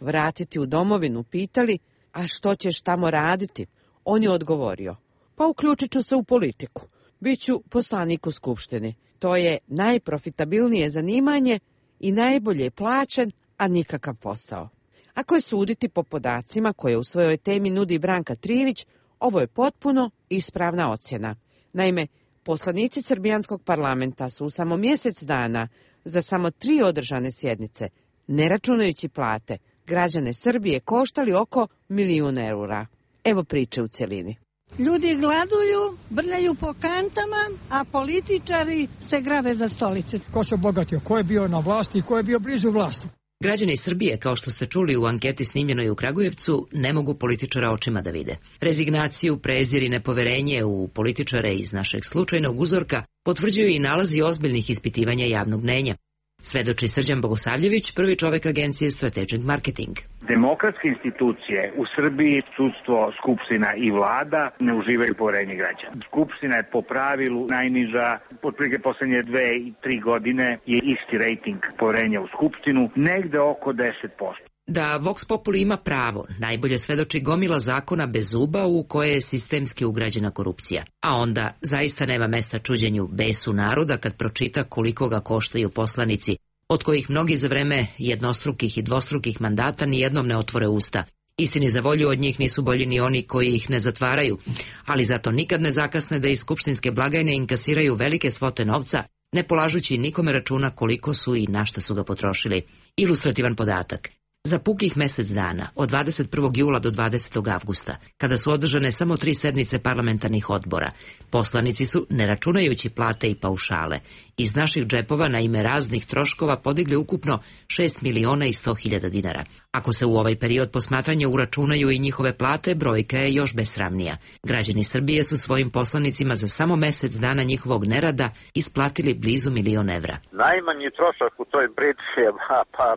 vratiti u domovinu, pitali, a što ćeš tamo raditi? On je odgovorio, pa uključit ću se u politiku, biću poslanik u Skupštini. To je najprofitabilnije zanimanje i najbolje plaćen, a nikakav posao. Ako je suditi po podacima koje u svojoj temi nudi Branka Trivić, ovo je potpuno ispravna ocjena. Naime, poslanici Srbijanskog parlamenta su u samo mjesec dana za samo 3 održane sjednice, ne računajući plate, građane Srbije koštali oko 1.000.000 eura. Evo priče u cjelini. Ljudi gladuju, brljaju po kantama, a političari se grave za stolice. Ko se obogatio, ko je bio na vlasti i ko je bio blizu vlasti. Građani Srbije, kao što ste čuli u anketi snimljenoj u Kragujevcu, ne mogu političara očima da vide. Rezignaciju, prezir i nepoverenje u političare iz našeg slučajnog uzorka potvrđuju i nalazi ozbiljnih ispitivanja javnog mnenja. Svedoči Srđan Bogosavljević, prvi čovek agencije Strategic Marketing. Demokratske institucije u Srbiji, sudstvo, skupština i vlada ne uživaju poverenje građana. Skupština je po pravilu najniža, otprilike poslednje 2-3 godine je isti rejting poverenja u skupštinu, negde oko 10%. Da Vox Populi ima pravo, najbolje svedoči gomila zakona bez zuba u koje je sistemski ugrađena korupcija. A onda zaista nema mesta čuđenju besu naroda kad pročita koliko ga koštaju poslanici, od kojih mnogi za vreme jednostrukih i dvostrukih mandata nijednom ne otvore usta. Istini za volju, od njih nisu bolji ni oni koji ih ne zatvaraju, ali zato nikad ne zakasne da iz skupštinske blagajne inkasiraju velike svote novca, ne polažući nikome računa koliko su i na šta su ga potrošili. Ilustrativan podatak. Za pukih mjesec dana, od 21. jula do 20. avgusta, kada su održane samo 3 sednice parlamentarnih odbora, poslanici su, ne računajući plate i paušale, iz naših džepova na ime raznih troškova podigli ukupno 6.100.000 dinara. Ako se u ovaj period posmatranja uračunaju i njihove plate, brojka je još besramnija. Građani Srbije su svojim poslanicima za samo mjesec dana njihovog nerada isplatili blizu 1.000.000 evra. Najmanji trošak u toj priči je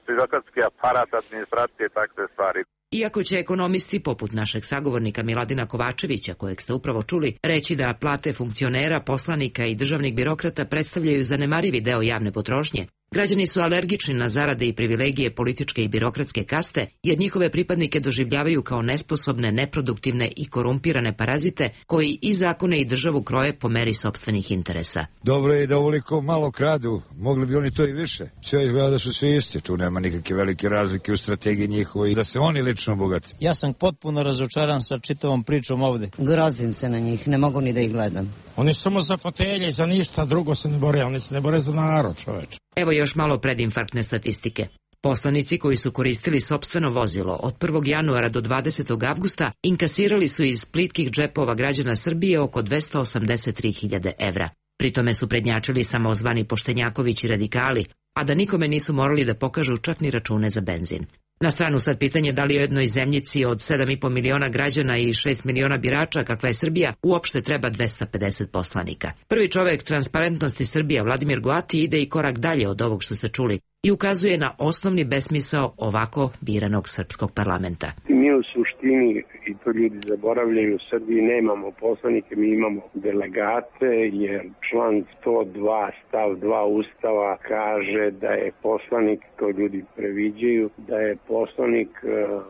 birokratski aparat, administracije, takve stvari. Iako će ekonomisti, poput našeg sagovornika Miladina Kovačevića, kojeg ste upravo čuli, reći da plate funkcionera, poslanika i državnih birokrata predstavljaju zanemarivi deo javne potrošnje, građani su alergični na zarade i privilegije političke i birokratske kaste, jer njihove pripadnike doživljavaju kao nesposobne, neproduktivne i korumpirane parazite koji i zakone i državu kroje po meri sopstvenih interesa. Dobro je da ovoliko malo kradu, mogli bi oni to i više. Sve izgleda da su svi isti, tu nema nikakve velike razlike u strategiji njihovoj, da se oni lično bogati. Ja sam potpuno razočaran sa čitavom pričom ovde. Grozim se na njih, ne mogu ni da ih gledam. Oni su samo za fotelje i za ništa drugo se ne bore, oni se ne bore za narod, čoveče. Evo još malo predinfarktne statistike. Poslanici koji su koristili sopstveno vozilo od 1. januara do 20. avgusta inkasirali su iz plitkih džepova građana Srbije oko 283.000 evra. Pritome su prednjačili samozvani poštenjaković i radikali, a da nikome nisu morali da pokažu čak ni račune za benzin. Na stranu sad pitanje da li u jednoj zemljici od 7,5 miliona građana i 6 miliona birača, kakva je Srbija, uopšte treba 250 poslanika. Prvi čovek Transparentnosti Srbije, Vladimir Goati, ide i korak dalje od ovog što ste čuli i ukazuje na osnovni besmisao ovako biranog srpskog parlamenta. Mi u suštini, i to ljudi zaboravljaju, u Srbiji nemamo poslanike, mi imamo delegate, jer član 102 stav 2 Ustava kaže da je poslanik, to ljudi previđaju, da je poslanik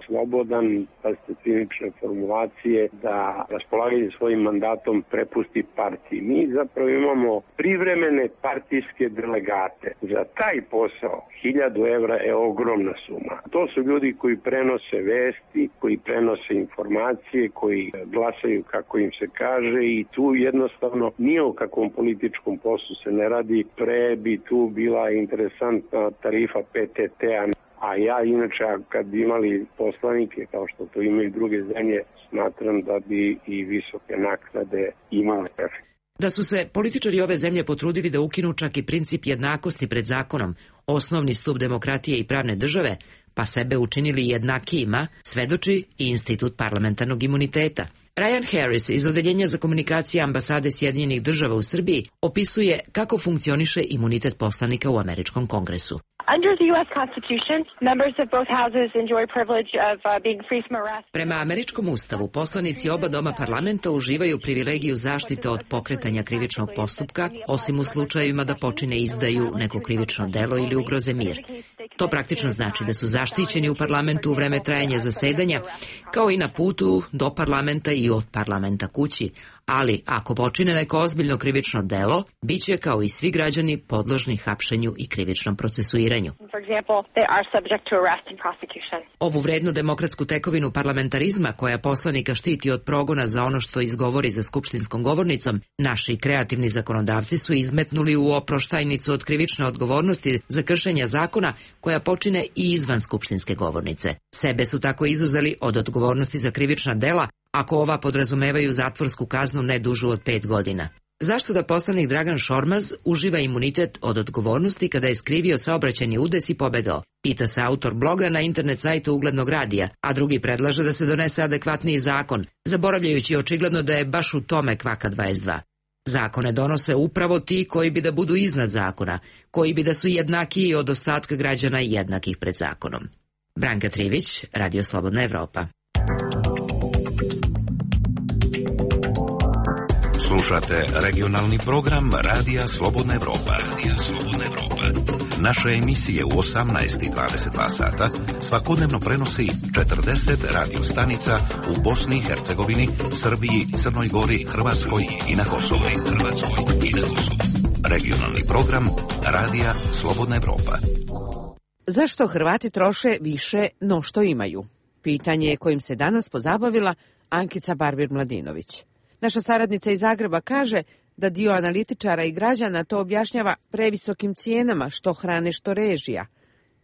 slobodan, pa ste cinične formulacije, da raspolaganje svojim mandatom prepusti partiji. Mi zapravo imamo privremene partijske delegate. Za taj posao 1.000 evra je ogromna suma. To su ljudi koji prenose vesti, koji prenose informacije, koji glasaju kako im se kaže i tu jednostavno nije o kakvom političkom poslu se ne radi. Pre bi tu bila interesantna tarifa PTT-a, a ja inače kad bi imali poslanike kao što to imaju druge zemlje, smatram da bi i visoke naknade imale efekt. Da su se političari ove zemlje potrudili da ukinu čak i princip jednakosti pred zakonom, osnovni stup demokratije i pravne države, pa sebe učinili jednakijima, svedoči i institut parlamentarnog imuniteta. Ryan Harris iz Odeljenja za komunikacije ambasade Sjedinjenih država u Srbiji opisuje kako funkcioniše imunitet poslanika u Američkom kongresu. Prema američkom ustavu, poslanici oba doma parlamenta uživaju privilegiju zaštite od pokretanja krivičnog postupka, osim u slučajevima da počine izdaju neko krivično delo ili ugroze mir. To praktično znači da su zaštićeni u parlamentu u vreme trajanja zasedanja, kao i na putu do parlamenta i od parlamenta kući, ali ako počine neko ozbiljno krivično delo, bit će kao i svi građani podložni hapšenju i krivičnom procesuiranju. Ovu vrednu demokratsku tekovinu parlamentarizma, koja poslanika štiti od progona za ono što izgovori za skupštinskom govornicom, naši kreativni zakonodavci su izmetnuli u oproštajnicu od krivične odgovornosti za kršenja zakona koja počine i izvan skupštinske govornice. Sebe su tako izuzeli od odgovornosti za krivična dela, ako ova podrazumevaju zatvorsku kaznu ne dužu od 5 godina. Zašto da poslanik Dragan Šormaz uživa imunitet od odgovornosti kada je skrivio saobraćajni udes i pobegao? Pita se autor bloga na internet sajtu Uglednog radija, a drugi predlaže da se donese adekvatniji zakon, zaboravljajući očigledno da je baš u tome kvaka 22. Zakone donose upravo ti koji bi da budu iznad zakona, koji bi da su jednakiji od ostatka građana i jednakih pred zakonom. Branka Trivić, Radio Slobodna Evropa. Slušate regionalni program Radija Slobodna Evropa. Naše emisije u 18 i 22 sata svakodnevno prenosi 40 radio stanica u Bosni i Hercegovini, Srbiji, Crnoj Gori, Hrvatskoj i na Kosovu. Regionalni program Radija Slobodna Evropa. Zašto Hrvati troše više no što imaju? Pitanje je kojim se danas pozabavila Ankica Barbir-Mladinović. Naša saradnica iz Zagreba kaže da dio analitičara i građana to objašnjava previsokim cijenama što hrane što režija.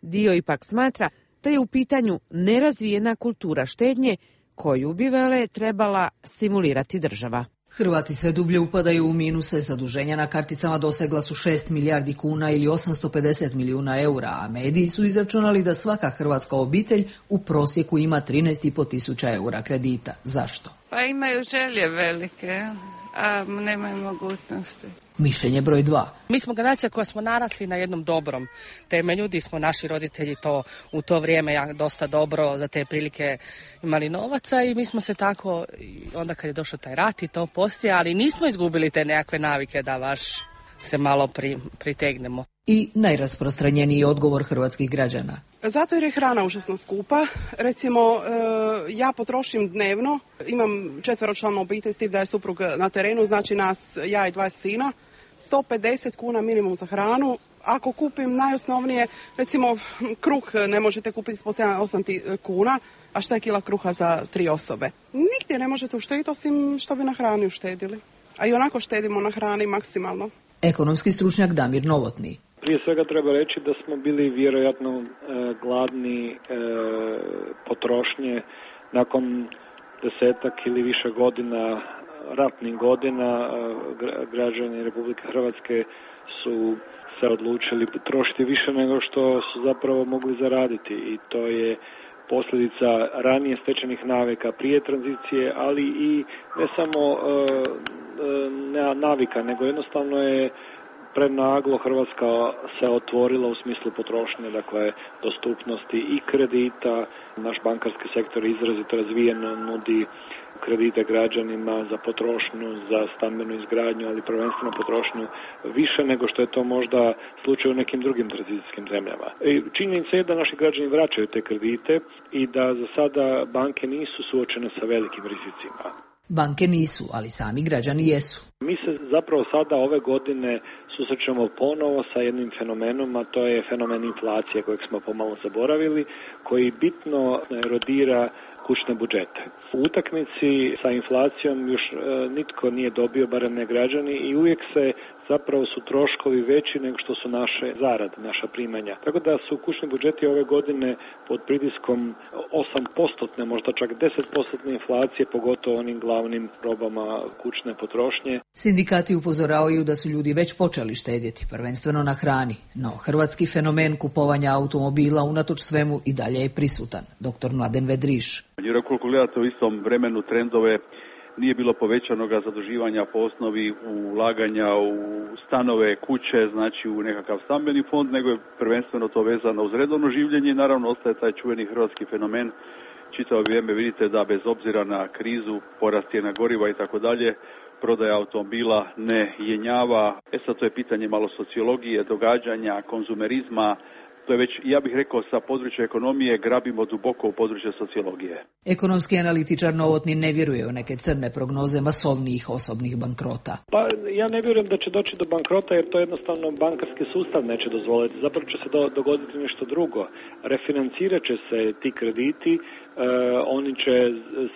Dio ipak smatra da je u pitanju nerazvijena kultura štednje koju bi vele trebala stimulirati država. Hrvati sve dublje upadaju u minuse, zaduženja na karticama dosegla su 6 milijardi kuna ili 850 milijuna eura, a mediji su izračunali da svaka hrvatska obitelj u prosjeku ima 13,5 tisuća eura kredita. Zašto? Pa imaju želje velike, a nemaju mogućnosti. Mišljenje broj 2. Mi smo generacija koja smo narasli na jednom dobrom temelju, gdje smo naši roditelji to u to vrijeme dosta dobro za te prilike imali novaca i mi smo se tako, onda kad je došao taj rat i to poslije, ali nismo izgubili te nekakve navike da baš se malo pritegnemo. I najrasprostranjeniji odgovor hrvatskih građana. Zato jer je hrana užasno skupa. Recimo, ja potrošim dnevno, imam 4-članu obitelj s tim da je suprug na terenu, znači nas, ja i 2 sina, 150 kuna minimum za hranu. Ako kupim najosnovnije, recimo kruh ne možete kupiti s 7-8 kuna, a šta je kila kruha za 3 osobe? Nigdje ne možete uštediti osim što bi na hrani uštedili. a i onako štedimo na hrani maksimalno. Ekonomski stručnjak Damir Novotni. Prije svega treba reći da smo bili vjerojatno gladni potrošnje nakon 10-ak ili više godina, ratnih godina. Građani Republike Hrvatske su se odlučili trošiti više nego što su zapravo mogli zaraditi i to je posljedica ranije stečenih navika prije tranzicije, ali i ne samo navika, nego jednostavno je prenaglo Hrvatska se otvorila u smislu potrošnje, dakle dostupnosti i kredita. Naš bankarski sektor je izrazito razvijen, nudi kredite građanima za potrošnju, za stambenu izgradnju, ali prvenstveno potrošnju više nego što je to možda slučaj u nekim drugim tranzicijskim zemljama. Činjenica je da naši građani vraćaju te kredite i da za sada banke nisu suočene sa velikim rizicima. Banke nisu, ali sami građani jesu. Mi se zapravo sada ove godine susrećemo ponovo sa jednim fenomenom, a to je fenomen inflacije kojeg smo pomalo zaboravili, koji bitno erodira kućne budžete. U utakmici sa inflacijom još nitko nije dobio, barem ne građani, i uvijek se zapravo su troškovi veći nego što su naše zarade, naša primanja. Tako da su kućni budžeti ove godine pod pritiskom 8%, možda čak 10% inflacije, pogotovo onim glavnim robama kućne potrošnje. Sindikati upozoravaju da su ljudi već počeli štedjeti, prvenstveno na hrani, no hrvatski fenomen kupovanja automobila unatoč svemu i dalje je prisutan. Dr. Mladen Vedriš. Jer ukoliko gledate u istom vremenu trendove, nije bilo povećanoga zaduživanja po osnovi ulaganja u stanove, kuće, znači u nekakav stambeni fond, nego je prvenstveno to vezano uz redovno življenje i naravno ostaje taj čuveni hrvatski fenomen. Čitavo vrijeme vidite da bez obzira na krizu, porast cijena goriva i tako dalje, prodaja automobila ne jenjava. Sad to je pitanje malo sociologije, događanja, konzumerizma. To je već, ja bih rekao, sa područja ekonomije grabimo duboko u područje sociologije. Ekonomski analitičar Novotni ne vjeruje u neke crne prognoze masovnijih osobnih bankrota. Pa ja ne vjerujem da će doći do bankrota jer to jednostavno bankarski sustav neće dozvoliti. Zapravo će se dogoditi nešto drugo. Refinancirat će se ti krediti, oni će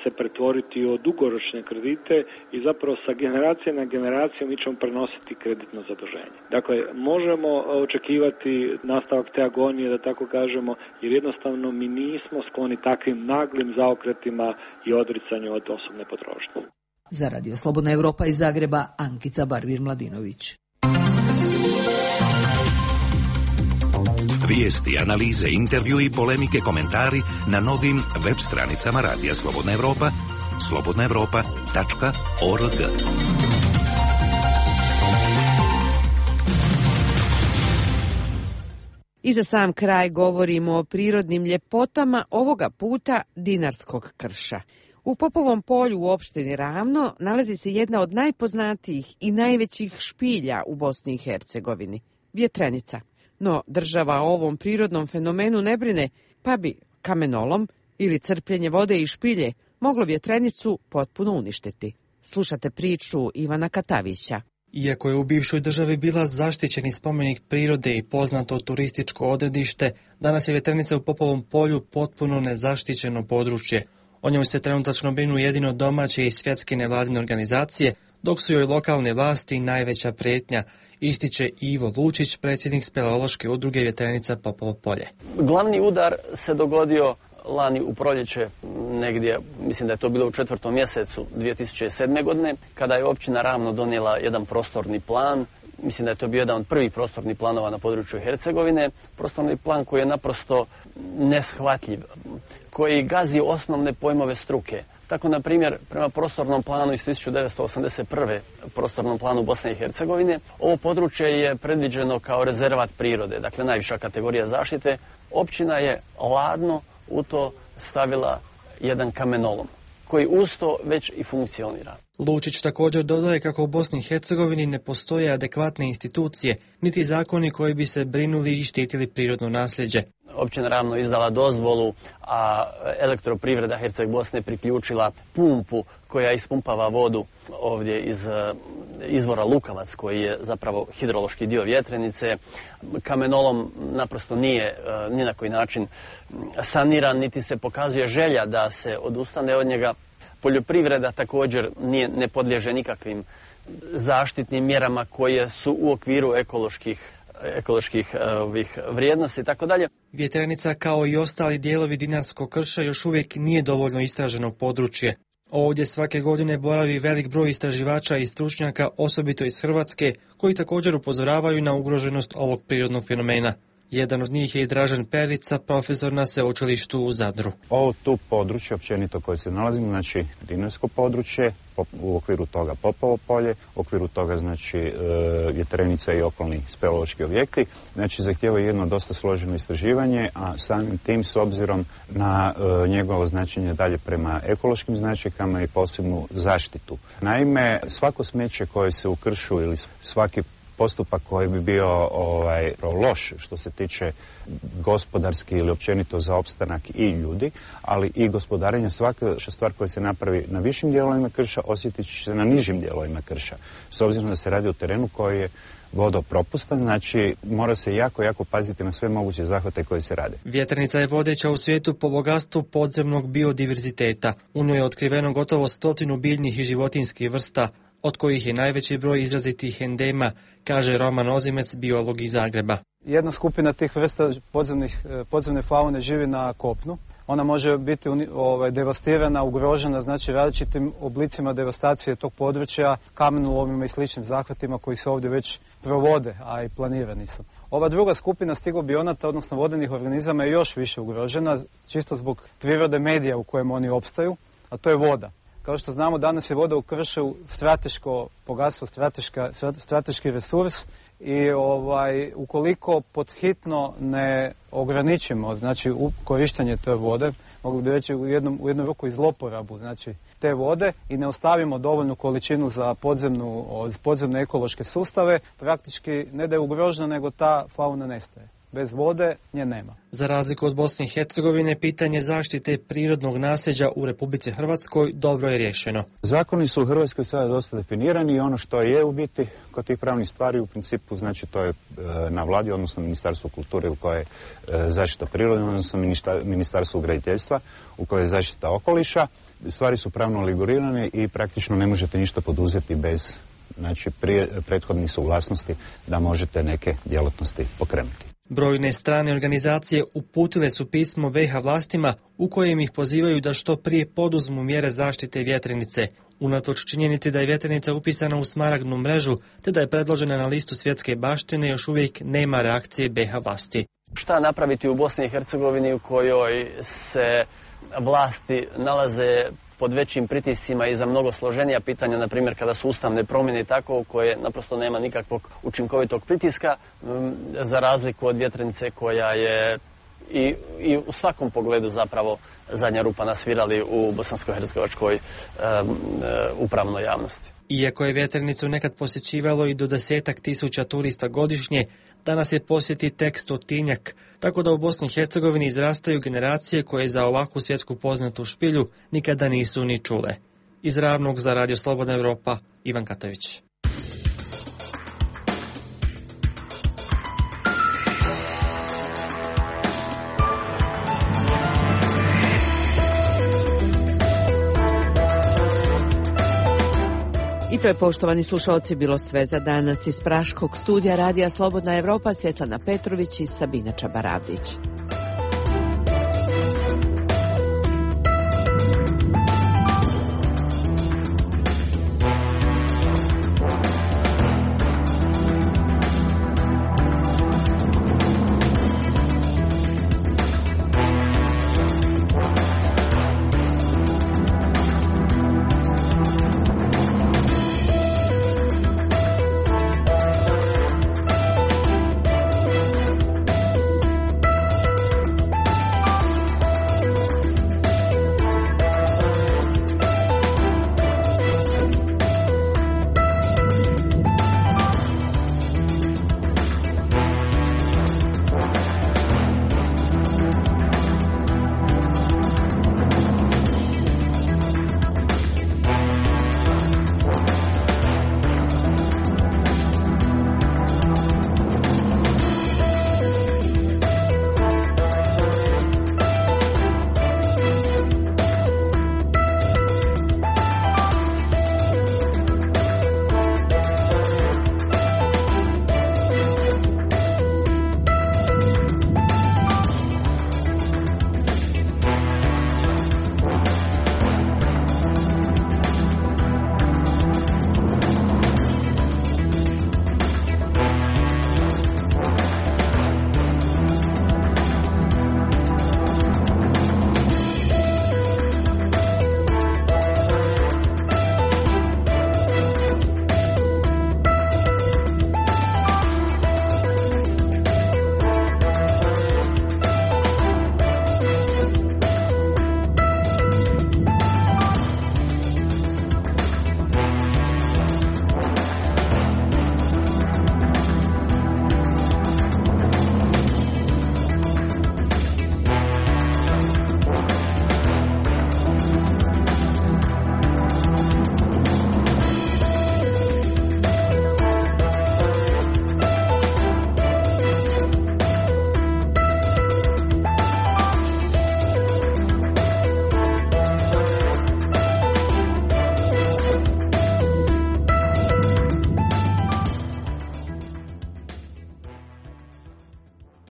se pretvoriti u dugoročne kredite i zapravo sa generacije na generaciju mi ćemo prenositi kreditno zaduženje. Dakle, možemo očekivati nastavak te agonije, da tako kažemo, jer jednostavno mi nismo skloni takvim naglim zaokretima i odricanju od osobne potrošnje. Za Radio Slobodna Evropa iz Zagreba, Ankica Barbir-Mladinović. Vijesti, analize, intervju i polemike, komentari na novim web stranicama Radija Slobodna Evropa, slobodnaevropa.org. I za sam kraj govorimo o prirodnim ljepotama, ovoga puta Dinarskog krša. U Popovom polju u opštini Ravno nalazi se jedna od najpoznatijih i najvećih špilja u Bosni i Hercegovini, Vjetrenica. No država o ovom prirodnom fenomenu ne brine, pa bi kamenolom ili crpljenje vode i špilje moglo Vjetrenicu potpuno uništiti. Slušate priču Ivana Katavića. Iako je u bivšoj državi bila zaštićeni spomenik prirode i poznato turističko odredište, danas je Vjetrenica u Popovom polju potpuno nezaštićeno područje. O njoj se trenutačno brinu jedino domaće i svjetske nevladine organizacije, dok su joj lokalne vlasti najveća prijetnja, ističe Ivo Lučić, predsjednik speleološke udruge Vjetrenica Popovo polje. Glavni udar se dogodio lani u proljeće, negdje, mislim da je to bilo u 4. mjesecu 2007. godine, kada je općina Ravno donijela jedan prostorni plan. Mislim da je to bio jedan od prvih prostornih planova na području Hercegovine. Prostorni plan koji je naprosto neshvatljiv, koji gazi osnovne pojmove struke. Tako, na primjer, prema prostornom planu iz 1981. prostornom planu Bosne i Hercegovine, ovo područje je predviđeno kao rezervat prirode, dakle najviša kategorija zaštite. Općina je ladno u to stavila jedan kamenolom, koji uz to već i funkcionira. Lučić također dodaje kako u Bosni i Hercegovini ne postoje adekvatne institucije, niti zakoni koji bi se brinuli i štitili prirodno nasljeđe. Općina Ravno izdala dozvolu, a Elektroprivreda Herceg Bosne priključila pumpu koja ispumpava vodu ovdje iz izvora Lukavac, koji je zapravo hidrološki dio Vjetrenice. Kamenolom naprosto nije ni na koji način saniran, niti se pokazuje želja da se odustane od njega. Poljoprivreda također ne podliježe nikakvim zaštitnim mjerama koje su u okviru ekoloških vrijednosti i tako dalje. Vjetrenica kao i ostali dijelovi Dinarskog krša još uvijek nije dovoljno istraženo područje. Ovdje svake godine boravi velik broj istraživača i stručnjaka, osobito iz Hrvatske, koji također upozoravaju na ugroženost ovog prirodnog fenomena. Jedan od njih je i Dražen Perica, profesor na sveučilištu u Zadru. Ovo tu područje, općenito koje se nalazimo, znači Dinarsko područje, u okviru toga Popovo polje, u okviru toga znači Vjetrenica i okolni speleološki objekti, znači zahtijeva jedno dosta složeno istraživanje, a samim tim s obzirom na njegovo značenje dalje prema ekološkim značajkama i posebnu zaštitu. Naime, svako smeće koje se u kršu ili svaki postupak koji bi bio loš što se tiče gospodarski ili općenito za opstanak i ljudi, ali i gospodarenja, svaka stvar koja se napravi na višim dijelovima krša osjetit će se na nižim dijelovima krša. S obzirom da se radi o terenu koji je vodopropustan, znači mora se jako paziti na sve moguće zahvate koje se rade. Vjetrenica je vodeća u svijetu po bogatstvu podzemnog biodiverziteta. U njoj je otkriveno gotovo 100 biljnih i životinjskih vrsta, od kojih je najveći broj izrazitih endema, kaže Roman Ozimec, biolog iz Zagreba. Jedna skupina tih vrsta podzemne faune živi na kopnu. Ona može biti devastirana, ugrožena, znači različitim oblicima devastacije tog područja, kamenolomima i sličnim zahvatima koji se ovdje već provode, a i planirani su. Ova druga skupina stigobionata, odnosno vodenih organizama, je još više ugrožena, čisto zbog prirode medija u kojem oni opstaju, a to je voda. Kao što znamo, danas je voda u kršu strateško bogatstvo, strateški resurs i ukoliko podhitno ne ograničimo, znači korištenje te vode, mogli bi reći u jednu ruku i zloporabu, znači te vode, i ne ostavimo dovoljnu količinu za podzemne ekološke sustave, praktički ne da je ugrožena, nego ta fauna nestaje. Bez vode nje nema. Za razliku od Bosne i Hercegovine, pitanje zaštite prirodnog nasljeđa u Republici Hrvatskoj dobro je riješeno. Zakoni su u Hrvatskoj sada dosta definirani i ono što je u biti kod tih pravnih stvari u principu, znači to je na vladi, odnosno Ministarstvu kulture u kojoj je zaštita prirode, odnosno Ministarstvu graditeljstva u kojoj je zaštita okoliša. Stvari su pravno regulirane i praktično ne možete ništa poduzeti bez prethodnih suglasnosti da možete neke djelatnosti pokrenuti. Brojne strane organizacije uputile su pismo BiH vlastima u kojem ih pozivaju da što prije poduzmu mjere zaštite Vjetrenice. Unatoč činjenici da je Vjetrenica upisana u smaragdnu mrežu te da je predložena na listu svjetske baštine, još uvijek nema reakcije BiH vlasti. Šta napraviti u Bosni i Hercegovini u kojoj se vlasti nalaze pod većim pritiscima i za mnogo složenija pitanja, na primjer kada su ustavne promjene i tako, koje naprosto nema nikakvog učinkovitog pritiska, za razliku od Vjetrenice koja je i u svakom pogledu zapravo zadnja rupa na svirali u bosansko-hercegovačkoj upravnoj javnosti. Iako je Vjetrenicu nekad posjećivalo i do 10.000 turista godišnje, danas je posjeti tek 100-tinjak, tako da u Bosni i Hercegovini izrastaju generacije koje za ovakvu svjetsku poznatu špilju nikada nisu ni čule. Iz Ravnog za Radio Slobodna Evropa, Ivan Katavić. I to je, poštovani slušalci, bilo sve za danas iz Praškog studija Radija Slobodna Evropa. Svjetlana Petrović i Sabina Čabaravdić.